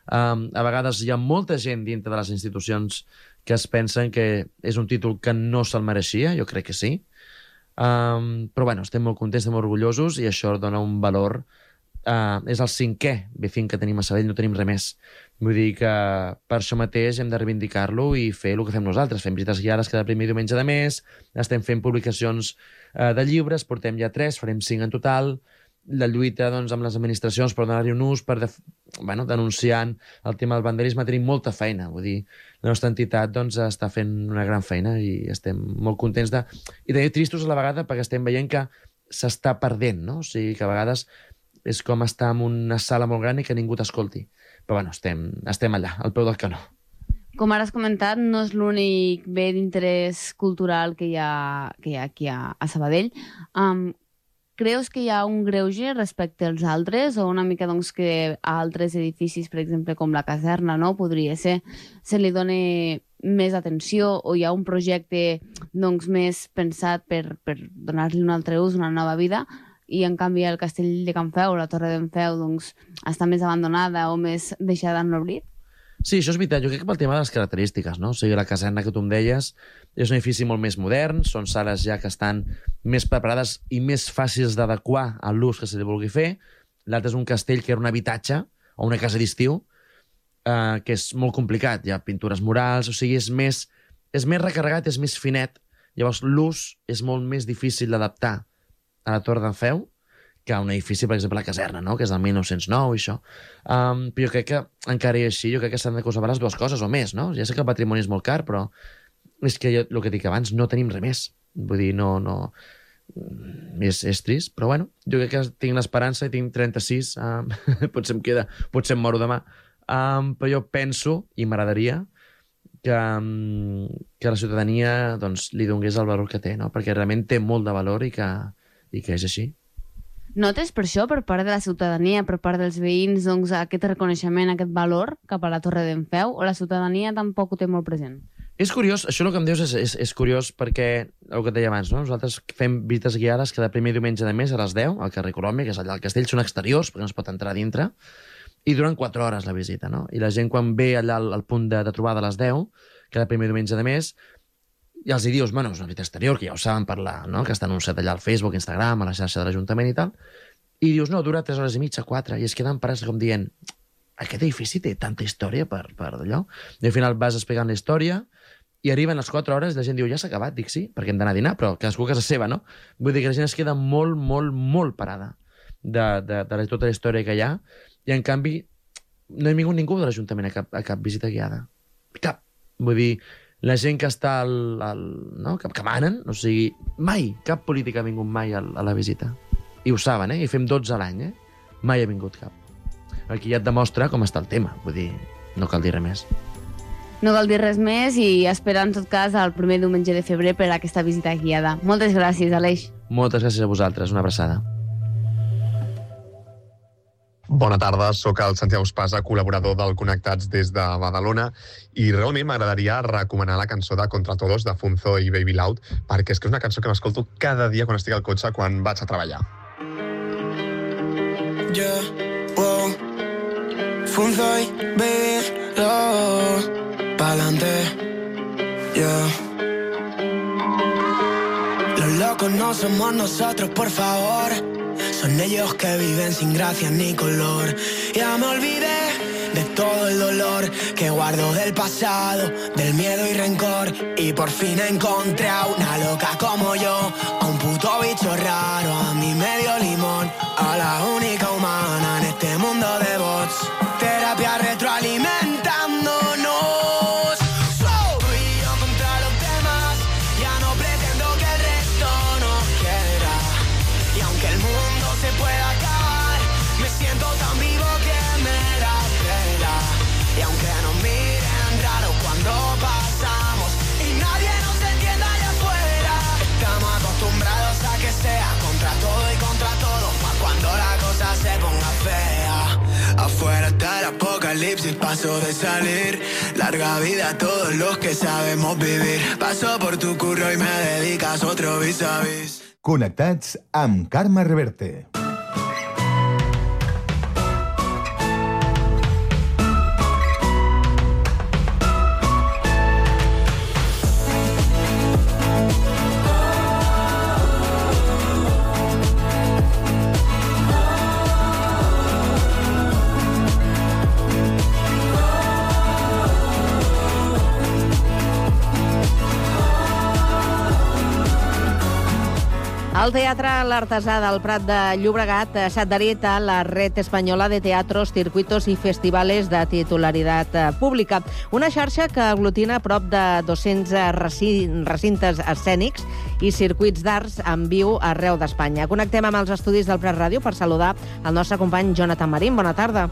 Um, a vegades hi ha molta gent dintre de les institucions que es pensen que és un títol que no se'l mereixia, jo crec que sí. Um, però bueno, estem molt contents, estem molt orgullosos i això dona un valor. Uh, és el cinquè B C I N que tenim a Sabadell, no tenim res més. Vull dir que per això mateix hem de reivindicar-lo i fer el que fem nosaltres. Fem visites guiades cada primer diumenge de mes, estem fent publicacions uh, de llibres, portem ja tres, farem cinc en total. La lluita doncs, amb les administracions per donar-hi un ús, per def... bueno, denunciant el tema del vandalisme, tenim molta feina. Vull dir, la nostra entitat doncs, està fent una gran feina i estem molt contents de... I també tristos a la vegada perquè estem veient que s'està perdent, no? O sigui, que a vegades és com estar en una sala molt gran i que ningú t'escolti. Però bueno, estem, estem allà, al peu del canó. Com ara has comentat, no és l'únic bé d'interès cultural que hi ha, que hi ha aquí a, a Sabadell. Um, Creus que hi ha un greuge respecte als altres o una mica doncs, que a altres edificis, per exemple, com la caserna, no, podria ser, se li doni més atenció o hi ha un projecte doncs, més pensat per, per donar-li un altre ús, una nova vida, i en canvi el castell de Can Feu, la Torre d'en Feu, doncs, està més abandonada o més deixada en l'oblit? Sí, això és veritat. Jo crec que pel tema de les característiques, no? O sigui, la caserna que tu em deies és un edifici molt més modern, són sales ja que estan més preparades i més fàcils d'adequar a l'ús que se li vulgui fer. L'altre és un castell que era un habitatge o una casa d'estiu, eh, que és molt complicat. Hi ha pintures murals, o sigui, és més, és més recarregat, és més finet. Llavors, l'ús és molt més difícil d'adaptar a la Torre d'en Feu que un edifici, per exemple, la caserna, no? Que és del mil nou-cents nou i això. Um, però jo crec que, encara i així, jo crec que s'han de conservar les dues coses o més, no? Ja sé que el patrimoni és molt car, però és que jo, el que dic abans, no tenim res més. Vull dir, no... no... És, és trist, però bueno, jo crec que tinc l'esperança i tinc trenta-sis, um, potser em queda, potser em moro demà, um, però jo penso, i m'agradaria, que, um, que la ciutadania doncs, li donés el valor que té, no? Perquè realment té molt de valor i que, i que és així. Notes per això, per part de la ciutadania, per part dels veïns, doncs, aquest reconeixement, aquest valor cap a la Torre d'en Feu, o la ciutadania tampoc ho té molt present? És curiós, això el que em dius és, és, és curiós perquè, el que et deia abans, no? Nosaltres fem visites guiades cada primer diumenge de mes a les deu, al carrer Colòmbia, que és allà al castell, són exteriors, perquè no es pot entrar a dintre, i duren quatre hores la visita, no? I la gent quan ve allà al, al punt de, de trobada a les deu, cada primer diumenge de mes, i els hi dius, bueno, és una visita exterior, que ja ho saben parlar, no? Que està anunciat allà al Facebook, Instagram, a la xarxa de l'Ajuntament i tal, i dius, no, dura tres hores i mitja, quatre, i es queden parats com dient, aquest edifici té tanta història per, per d'allò? I al final vas explicant la història, i arriben les quatre hores i la gent diu, ja s'ha acabat, dic sí, perquè hem d'anar a dinar, però cadascú a casa seva, no? Vull dir que la gent es queda molt, molt, molt parada de, de, de tota la història que hi ha, i en canvi no hi ha vingut ningú de l'Ajuntament a cap, a cap visita guiada. Cap. Vull dir, la gent que està al, al, no? que, que manen, o sigui, mai, cap polític ha vingut mai a, a la visita. I ho saben, eh? I fem dotze a l'any, eh? Mai ha vingut cap. Aquí ja et demostra com està el tema, vull dir, no cal dir res més. No cal dir res més i esperar, en tot cas, el primer diumenge de febrer per a aquesta visita guiada. Moltes gràcies, Aleix. Moltes gràcies a vosaltres, una abraçada. Bona tarda, sóc el Santiago Espasa, col·laborador del Connectats des de Badalona, i realment m'agradaria recomanar la cançó de Contra Todos de Funzo i Baby Loud, perquè és que és una cançó que m'escolto cada dia quan estic al cotxe quan vaig a treballar. Yeah, wow. Funzo y Baby Loud, pa'lante, yeah. Los locos no somos nosotros, por favor. Son ellos que viven sin gracia ni color. Ya me olvidé de todo el dolor que guardo del pasado, del miedo y rencor. Y por fin encontré a una loca como yo, a un puto bicho raro, a mi medio limón, a la única humana en este mundo de bots. Terapia retroalimentándonos. paso de salir. Larga vida a todos los que sabemos vivir. Paso por tu curro y me dedicas otro vis a vis. Connectats amb Carme Reverte. El Teatre L'Artesà del Prat de Llobregat s'ha adherit a la Red Espanyola de Teatros, Circuitos i Festivales de titularitat pública, una xarxa que aglutina prop de dos-cents recintes escènics i circuits d'arts en viu arreu d'Espanya. Connectem amb els estudis del Prat Ràdio per saludar el nostre company Jonathan Marín. Bona tarda.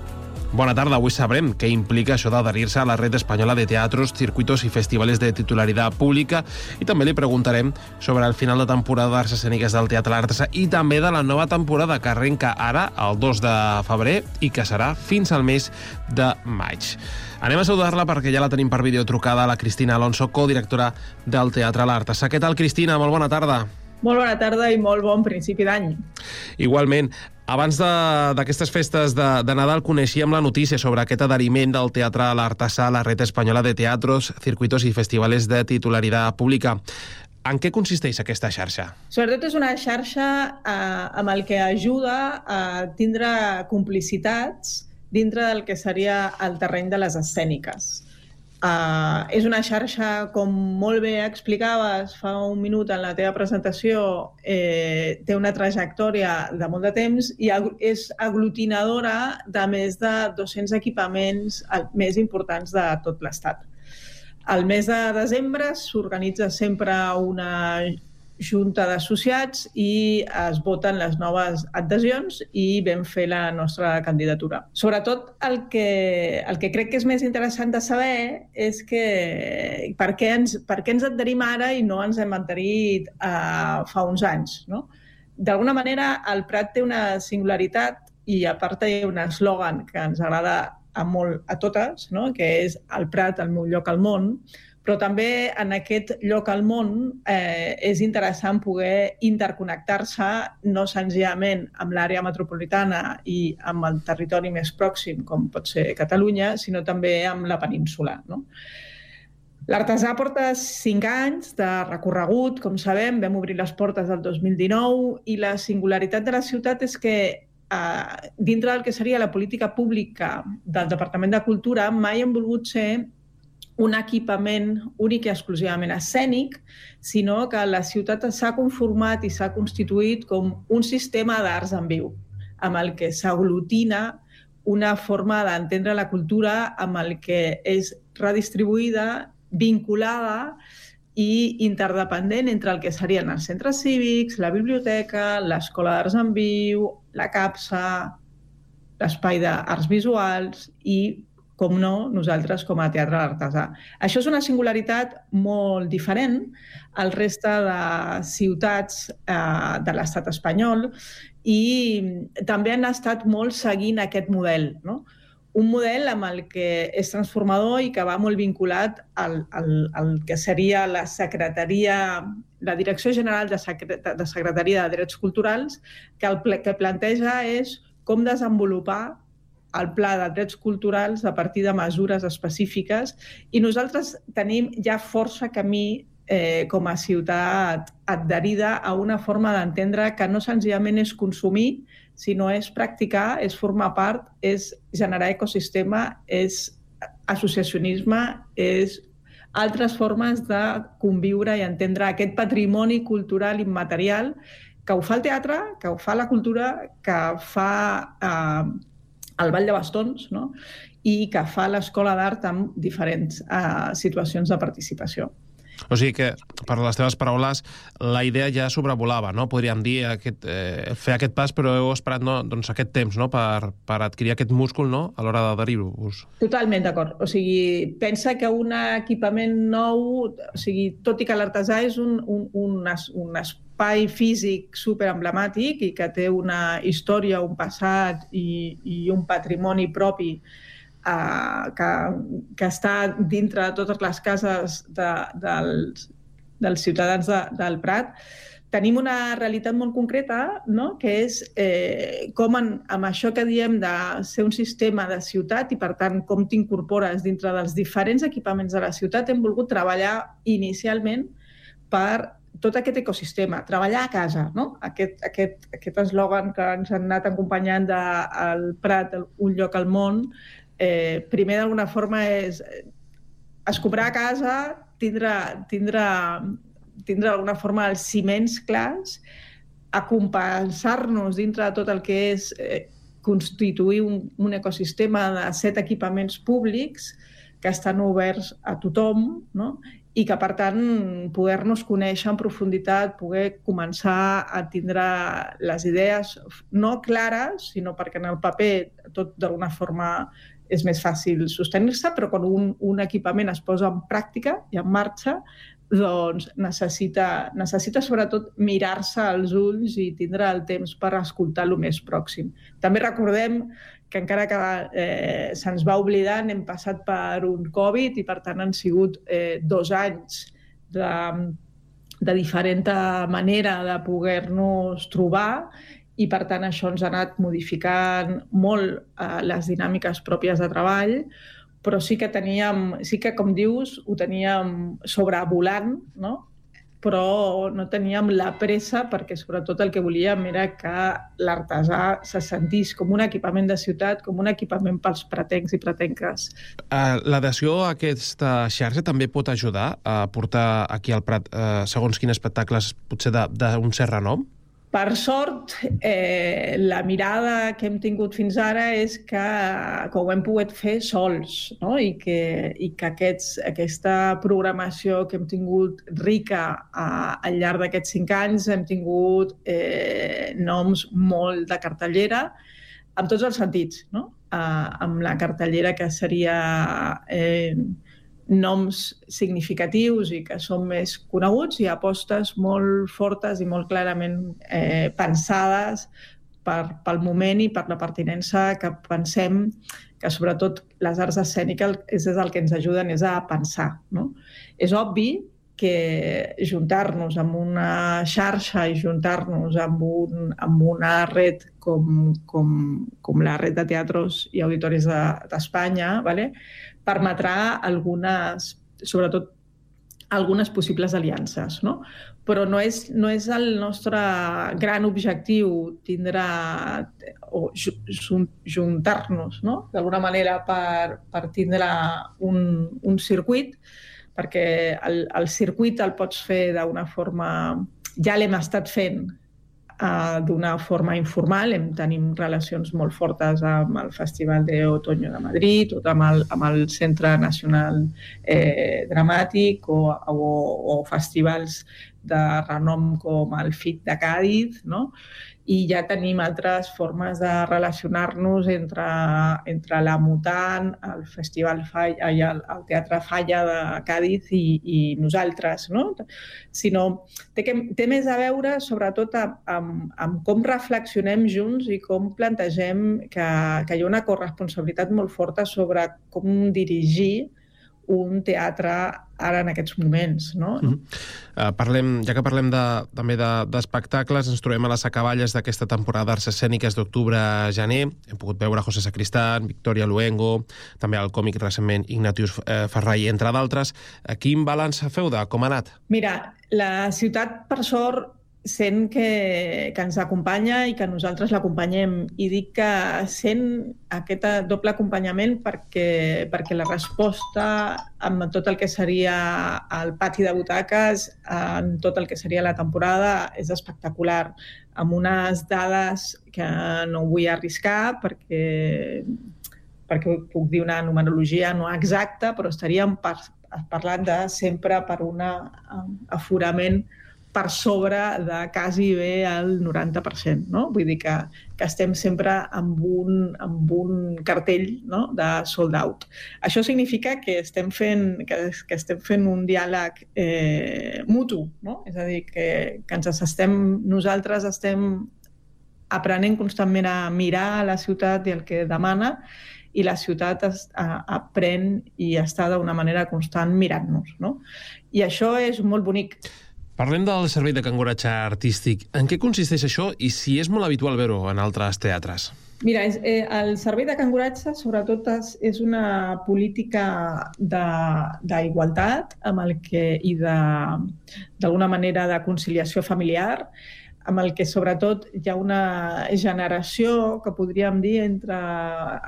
Bona tarda. Avui sabrem què implica això d'adherir-se a la Red Espanyola de Teatros, Circuitos i Festivales de titularitat pública, i també li preguntarem sobre el final de temporada d'arts escèniques del Teatre L'Artesà i també de la nova temporada que arrenca ara, el dos de febrer, i que serà fins al mes de maig. Anem a saludar-la perquè ja la tenim per videotrucada, la Cristina Alonso, codirectora del Teatre L'Artesà. Què tal, Cristina? Molt bona tarda. Molt bona tarda i molt bon principi d'any. Igualment. Abans d'aquestes festes de, de Nadal coneixíem la notícia sobre aquest adheriment del Teatre L'Artesà a la Red Espanyola de Teatros, Circuitos i Festivales de titularitat pública. En què consisteix aquesta xarxa? Sobretot és una xarxa eh, amb el que ajuda a tindre complicitats dintre del que seria el terreny de les escèniques. Uh, és una xarxa, com molt bé explicaves fa un minut en la teva presentació, eh, té una trajectòria de molt de temps i ag- és aglutinadora de més de dos-cents equipaments més importants de tot l'Estat. Al mes de desembre s'organitza sempre una junta d'associats i es voten les noves adhesions i vam fer la nostra candidatura. Sobretot el que, el que crec que és més interessant de saber és que per què ens, per què ens adherim ara i no ens hem adherit uh, fa uns anys, no? D'alguna manera, el Prat té una singularitat i a part hi ha un eslògan que ens agrada a, molt, a totes, no? Que és el Prat, el meu lloc al món, però també en aquest lloc al món eh, és interessant poder interconnectar-se no senzillament amb l'àrea metropolitana i amb el territori més pròxim, com pot ser Catalunya, sinó també amb la península, no? L'Artesà porta cinc anys de recorregut, com sabem, vam obrir les portes del dos mil dinou i la singularitat de la ciutat és que eh, dintre del que seria la política pública del Departament de Cultura mai hem volgut ser un equipament únic i exclusivament escènic, sinó que la ciutat s'ha conformat i s'ha constituït com un sistema d'arts en viu, amb el que s'aglutina una forma d'entendre la cultura amb el que és redistribuïda, vinculada i interdependent entre el que serien els centres cívics, la biblioteca, l'Escola d'Arts en Viu, la CAPSA, l'espai d'arts visuals i, com no, nosaltres com a Teatre L'Artesà. Això és una singularitat molt diferent al reste de ciutats eh, de l'estat espanyol i també han estat molt seguint aquest model, no? Un model amb el que és transformador i que va molt vinculat al, al, al que seria la Secretaria, la Direcció General de, Secret, de Secretaria de Drets Culturals, que el que planteja és com desenvolupar el pla de drets culturals a partir de mesures específiques i nosaltres tenim ja força camí eh, com a ciutat adherida a una forma d'entendre que no senzillament és consumir, sinó és practicar, és formar part, és generar ecosistema, és associacionisme, és altres formes de conviure i entendre aquest patrimoni cultural immaterial que ho fa el teatre, que ho fa la cultura, que fa eh, el Ball de Bastons, no? I que fa l'Escola d'Art amb diferents uh, situacions de participació. O sigui que, per les teves paraules, la idea ja sobrevolava, no? Podríem dir, aquest, eh, fer aquest pas, però heu esperat no, doncs, aquest temps, no? per, per adquirir aquest múscul, no? A l'hora d'adherir-vos. Totalment d'acord. O sigui, pensa que un equipament nou, o sigui, tot i que l'Artesà és un, un, un, un espai físic superemblemàtic i que té una història, un passat i, i un patrimoni propi uh, que, que està dintre de totes les cases de, dels, dels ciutadans de, del Prat, tenim una realitat molt concreta, no? Que és eh, com en, amb això que diem de ser un sistema de ciutat i, per tant, com t'incorpores dintre dels diferents equipaments de la ciutat, hem volgut treballar inicialment per tot aquest ecosistema, treballar a casa, no? Aquest, aquest, aquest eslògan que ens han anat acompanyant del Prat, un lloc al món, eh, primer d'alguna forma és escombrar a casa, tindre, tindre, tindre d'alguna forma els ciments clars, acompanyar-nos dintre de tot el que és eh, constituir un, un ecosistema de set equipaments públics que estan oberts a tothom, no? I que, per tant, poder-nos conèixer en profunditat, poder començar a tindre les idees no clares, sinó perquè en el paper tot d'alguna forma és més fàcil sostenir-se, però quan un, un equipament es posa en pràctica i en marxa, doncs necessita, necessita sobretot mirar-se als ulls i tindre el temps per escoltar el més pròxim. També recordem que encara que eh, se'ns va oblidant, hem passat per un Covid i, per tant, han sigut eh, dos anys de, de diferent manera de poder-nos trobar i, per tant, això ens ha anat modificant molt eh, les dinàmiques pròpies de treball, però sí que teníem, sí que, com dius, ho teníem sobrevolant, no? Però no teníem la pressa perquè sobretot el que volíem era que l'artesà se sentís com un equipament de ciutat, com un equipament pels pratencs i pratenques. Uh, L'adhesió a aquesta xarxa també pot ajudar a portar aquí al Prat uh, segons quins espectacles potser d'un cert renom? Per sort, eh, la mirada que hem tingut fins ara és que, que ho hem pogut fer sols, no? I que, i que aquests, aquesta programació que hem tingut rica a, al llarg d'aquests cinc anys hem tingut eh, noms molt de cartellera, en tots els sentits, no? Eh, amb la cartellera que seria eh, noms significatius i que són més coneguts i apostes molt fortes i molt clarament eh, pensades per, pel moment i per la pertinença que pensem que sobretot les arts escèniques és el que ens ajuden és a pensar, no? És obvi que juntar-nos amb una xarxa i juntar-nos amb, un, amb una red com, com, com la red de teatros i auditoris d'Espanya, de, ¿vale? Permetrà algunes, sobretot algunes possibles aliances, no? Però no és, no és el nostre gran objectiu tindre o juntar-nos, no? D'alguna manera per, per tindre un, un circuit, perquè el, el circuit el pots fer d'una forma... Ja l'hem estat fent uh, d'una forma informal, hem tenim relacions molt fortes amb el Festival de Otoño de Madrid, o amb el, amb el Centre Nacional eh, Dramàtic o, o, o festivals de renom com el F I C de Càdiz, no? I ja tenim altres formes de relacionar-nos entre, entre la Mutant, el Festival Falla i el, el Teatre Falla de Càdiz i, i nosaltres, no? Sinó, té, que, té més a veure sobretot amb, amb, amb com reflexionem junts i com plantegem que, que hi ha una corresponsabilitat molt forta sobre com dirigir un teatre ara en aquests moments, no? Mm-hmm. uh, parlem, ja que parlem de, també d'espectacles, de, ens trobem a les acaballes d'aquesta temporada d'arts escèniques d'octubre a gener. Hem pogut veure José Sacristán, Victoria Luengo, també el còmic recentment Ignatius eh, Ferrai, entre d'altres. Quin balanç feu de com ha anat? Mira, la ciutat, per sort, sent que, que ens acompanya i que nosaltres l'acompanyem. I dic que sent aquest doble acompanyament perquè, perquè la resposta amb tot el que seria el pati de butaques, en tot el que seria la temporada, és espectacular, amb unes dades que no vull arriscar perquè, perquè puc dir una numerologia no exacta, però estaríem par, parlant de sempre per un aforament per sobre de quasi bé el noranta per cent, no? Vull dir que, que estem sempre amb un, amb un cartell, no? De sold out. Això significa que estem fent, que, que estem fent un diàleg eh, mutu, no? És a dir, que, que ens estem, nosaltres estem aprenent constantment a mirar a la ciutat i el que demana i la ciutat es, a, aprèn i està d'una manera constant mirant-nos, no? I això és molt bonic. Parlem del servei de canguratge artístic. En què consisteix això i si és molt habitual veure-ho en altres teatres? Mira, és, eh, el servei de canguratge sobretot és, és una política d'igualtat amb el que, i d'alguna manera de conciliació familiar, amb el que sobretot hi ha una generació que podríem dir entre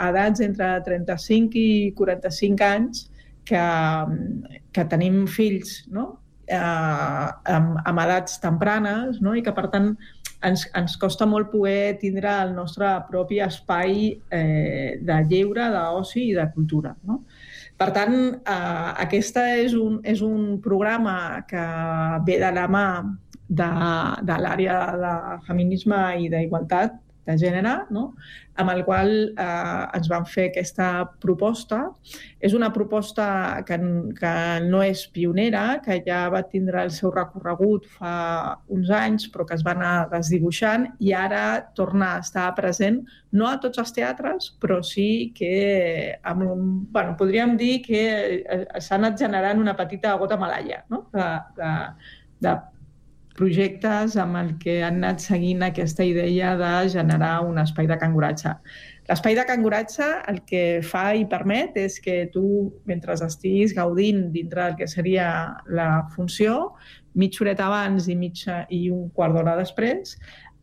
edats entre trenta-cinc i quaranta-cinc anys que, que tenim fills, no? Eh, amb, amb edats tempranes, no? I que per tant ens, ens costa molt poder tindre el nostre propi espai eh, de lleure, d'oci i de cultura, no? Per tant, eh, aquesta és un, és un programa que ve de la mà de, de l'àrea de feminisme i d'igualtat de gènere, no? Amb el qual eh, ens van fer aquesta proposta. És una proposta que, que no és pionera, que ja va tindre el seu recorregut fa uns anys, però que es va anar desdibuixant i ara torna a estar present, no a tots els teatres, però sí que amb un, bueno, podríem dir que s'ha anat generant una petita gota malaia, no? de, de, de projectes amb el que han anat seguint aquesta idea de generar un espai de canguratge. L'espai de canguratge el que fa i permet és que tu, mentre estiguis gaudint dintre del que seria la funció, mitja horeta abans i, mitja, i un quart d'hora després,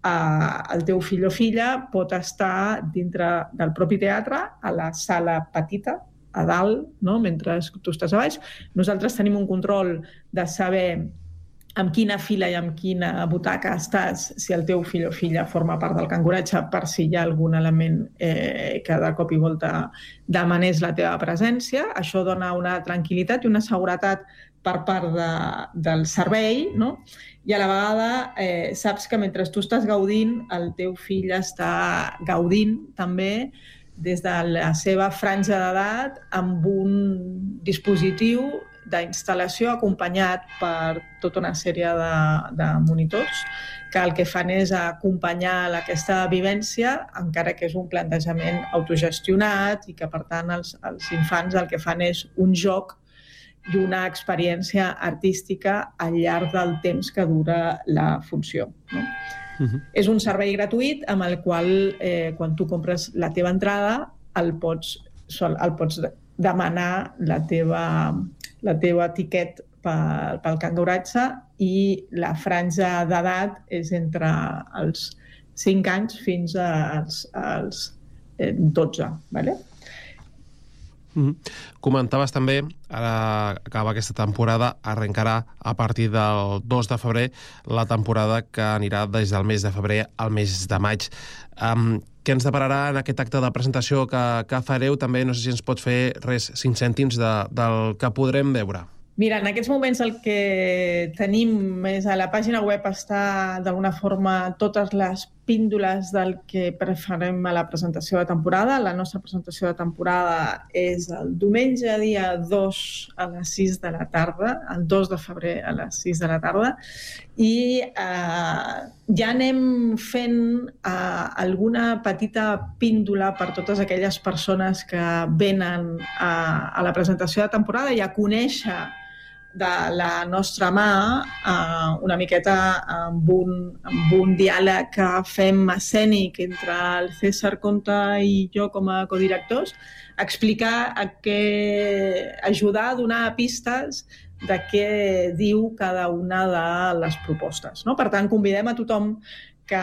eh, el teu fill o filla pot estar dintre del propi teatre, a la sala petita, a dalt, no? Mentre tu estàs a baix. Nosaltres tenim un control de saber amb quina fila i amb quina butaca estàs, si el teu fill o filla forma part del canguratge, per si hi ha algun element eh, que de cop i volta demanés la teva presència. Això dona una tranquil·litat i una seguretat per part de, del servei, no? I a la vegada eh, saps que mentre tu estàs gaudint, el teu fill està gaudint també des de la seva franja d'edat amb un dispositiu d'instal·lació acompanyat per tota una sèrie de, de monitors que el que fan és acompanyar aquesta vivència, encara que és un plantejament autogestionat i que, per tant, els, els infants el que fan és un joc i una experiència artística al llarg del temps que dura la funció, no? Uh-huh. És un servei gratuït amb el qual, eh, quan tu compres la teva entrada, el pots, el pots demanar la teva, la teva tiquet pel, pel canguratge i la franja d'edat és entre els cinc anys fins als, als dotze, ¿vale? Mm-hmm. Comentaves també, ara acaba aquesta temporada, arrencarà a partir del dos de febrer la temporada que anirà des del mes de febrer al mes de maig. Um, què ens depararà en aquest acte de presentació que, que fareu? També no sé si ens pot fer res, cinc cèntims de, del que podrem veure. Mira, en aquests moments el que tenim és a la pàgina web està d'alguna forma totes les píndoles del que farem a la presentació de temporada. La nostra presentació de temporada és el diumenge dia dos a les sis de la tarda, el dos de febrer a les sis de la tarda, i eh, ja anem fent eh, alguna petita píndola per totes aquelles persones que venen a, a la presentació de temporada i a conèixer de la nostra mà eh, una miqueta amb un, amb un diàleg que fem escènic entre el César Conta i jo com a codirectors, explicar a què, ajudar a donar pistes de què diu cada una de les propostes, no? Per tant, convidem a tothom que,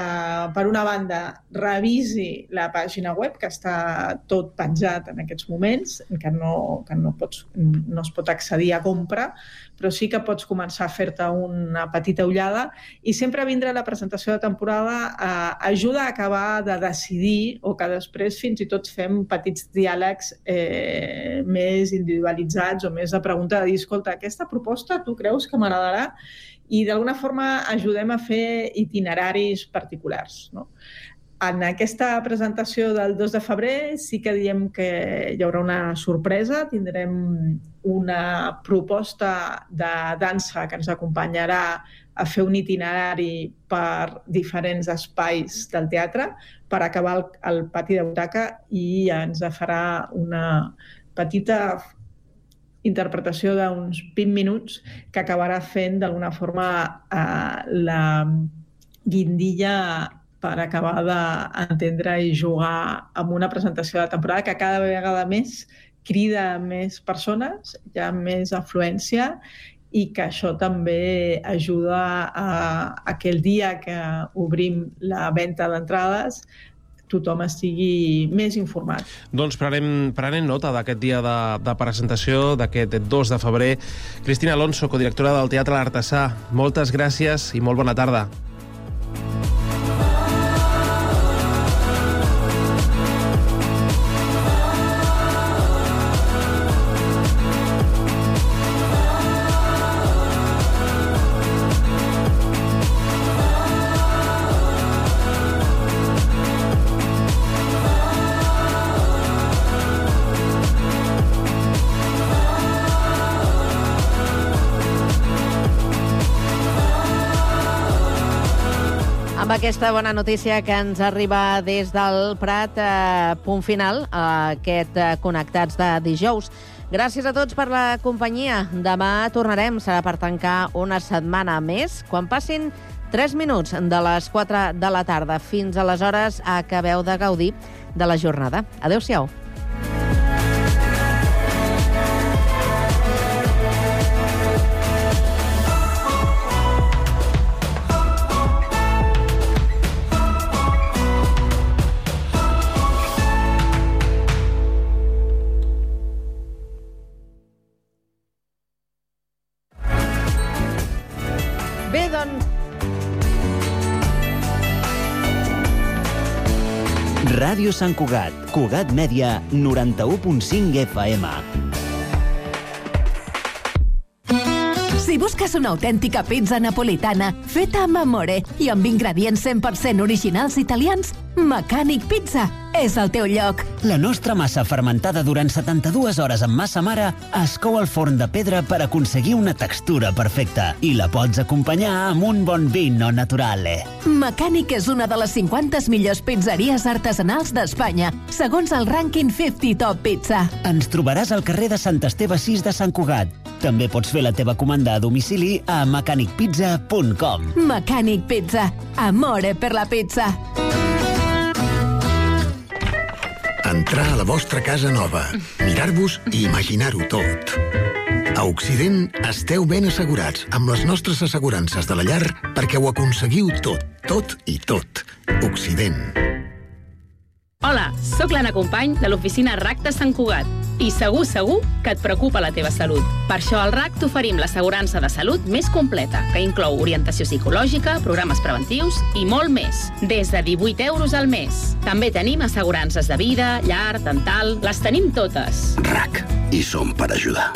per una banda, revisi la pàgina web, que està tot penjat en aquests moments, que no, que no, pots, no es pot accedir a compra, però sí que pots començar a fer-te una petita ullada i sempre vindre a la presentació de temporada eh, ajuda a acabar de decidir o que després fins i tot fem petits diàlegs eh, més individualitzats o més de pregunta de dir, escolta, aquesta proposta tu creus que m'agradarà? I d'alguna forma ajudem a fer itineraris particulars, no? en aquesta presentació del dos de febrer sí que diem que hi haurà una sorpresa. Tindrem una proposta de dansa que ens acompanyarà a fer un itinerari per diferents espais del teatre per acabar el, el pati de butaca, i ens farà una petita interpretació d'uns vint minuts que acabarà fent d'alguna forma eh, la guindilla per acabar d'entendre i jugar amb una presentació de temporada que cada vegada més crida més persones, hi ha més afluència, i que això també ajuda a, a que el dia que obrim la venda d'entrades tothom estigui més informat. Doncs prenem, prenem nota d'aquest dia de, de presentació, d'aquest dos de febrer. Cristina Alonso, codirectora del Teatre L'Artesà, moltes gràcies i molt bona tarda. Amb aquesta bona notícia que ens arriba des del Prat, eh, punt final a aquest eh, Connectats de dijous. Gràcies a tots per la companyia. Demà tornarem, serà per tancar una setmana més, quan passin tres minuts de les quatre de la tarda. Fins aleshores acabeu de gaudir de la jornada. Adéu-siau. Bé, doncs... Ràdio Sant Cugat, Cugat Mèdia, noranta-u punt cinc F M. Si busques una autèntica pizza napolitana feta amb amore i amb ingredients cent per cent originals italians, Mecànic Pizza és el teu lloc. La nostra massa fermentada durant setanta-dues hores amb massa mare es cou al forn de pedra per aconseguir una textura perfecta i la pots acompanyar amb un bon vino naturale. Mecànic és una de les cinquanta millors pizzeries artesanals d'Espanya, segons el rànquing cinquanta Top Pizza. Ens trobaràs al carrer de Sant Esteve sis de Sant Cugat. També pots fer la teva comanda a domicili a mecànic pizza punt com. Mecànic Pizza. Amore per la pizza. Entrar a la vostra casa nova, mirar-vos i imaginar-ho tot. A Occident esteu ben assegurats amb les nostres assegurances de la llar perquè ho aconseguiu tot, tot i tot. Occident. Hola, sóc l'Anna Company de l'oficina R A C de Sant Cugat i segur, segur que et preocupa la teva salut. Per això al R A C t'oferim l'assegurança de salut més completa, que inclou orientació psicològica, programes preventius i molt més, des de divuit euros al mes. També tenim assegurances de vida, llar, dental, les tenim totes. R A C, hi som per ajudar.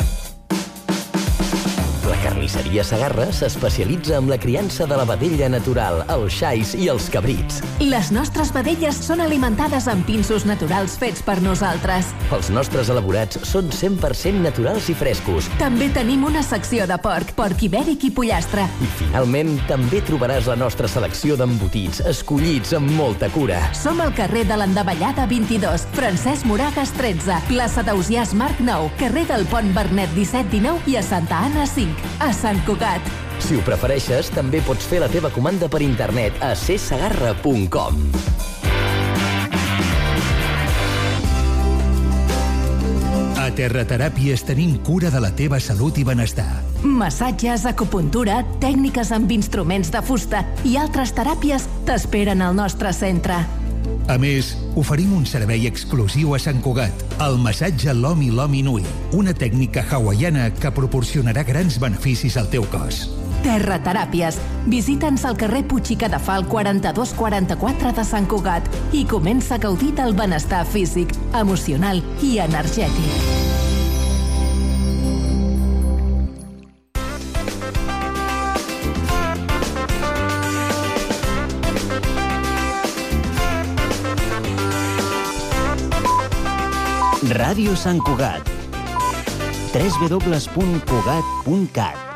La carnisseria Segarra s'especialitza en la criança de la vedella natural, els xais i els cabrits. Les nostres vedelles són alimentades amb pinsos naturals fets per nosaltres. Els nostres elaborats són cent per cent naturals i frescos. També tenim una secció de porc, porc ibèric i pollastre. I finalment també trobaràs la nostra selecció d'embotits, escollits amb molta cura. Som al carrer de l'Endavellada vint-i-dos, Francesc Moragas tretze, plaça d'Ausiàs Marc nou, carrer del Pont Bernet disset dinou i a Santa Anna cinc. A Sant Cugat. Si ho prefereixes, també pots fer la teva comanda per internet a c segarra punt com. A Terrateràpies tenim cura de la teva salut i benestar. Massatges, acupuntura, tècniques amb instruments de fusta i altres teràpies t'esperen al nostre centre. A més, oferim un servei exclusiu a Sant Cugat, el massatge Lomi Lomi Nui, una tècnica hawaiana que proporcionarà grans beneficis al teu cos. Terrateràpies. Visita'ns al carrer Puig i Cadafal quaranta-dos quaranta-quatre de Sant Cugat i comença a gaudir del benestar físic, emocional i energètic. Ràdio Sant Cugat. w w w punt cugat punt cat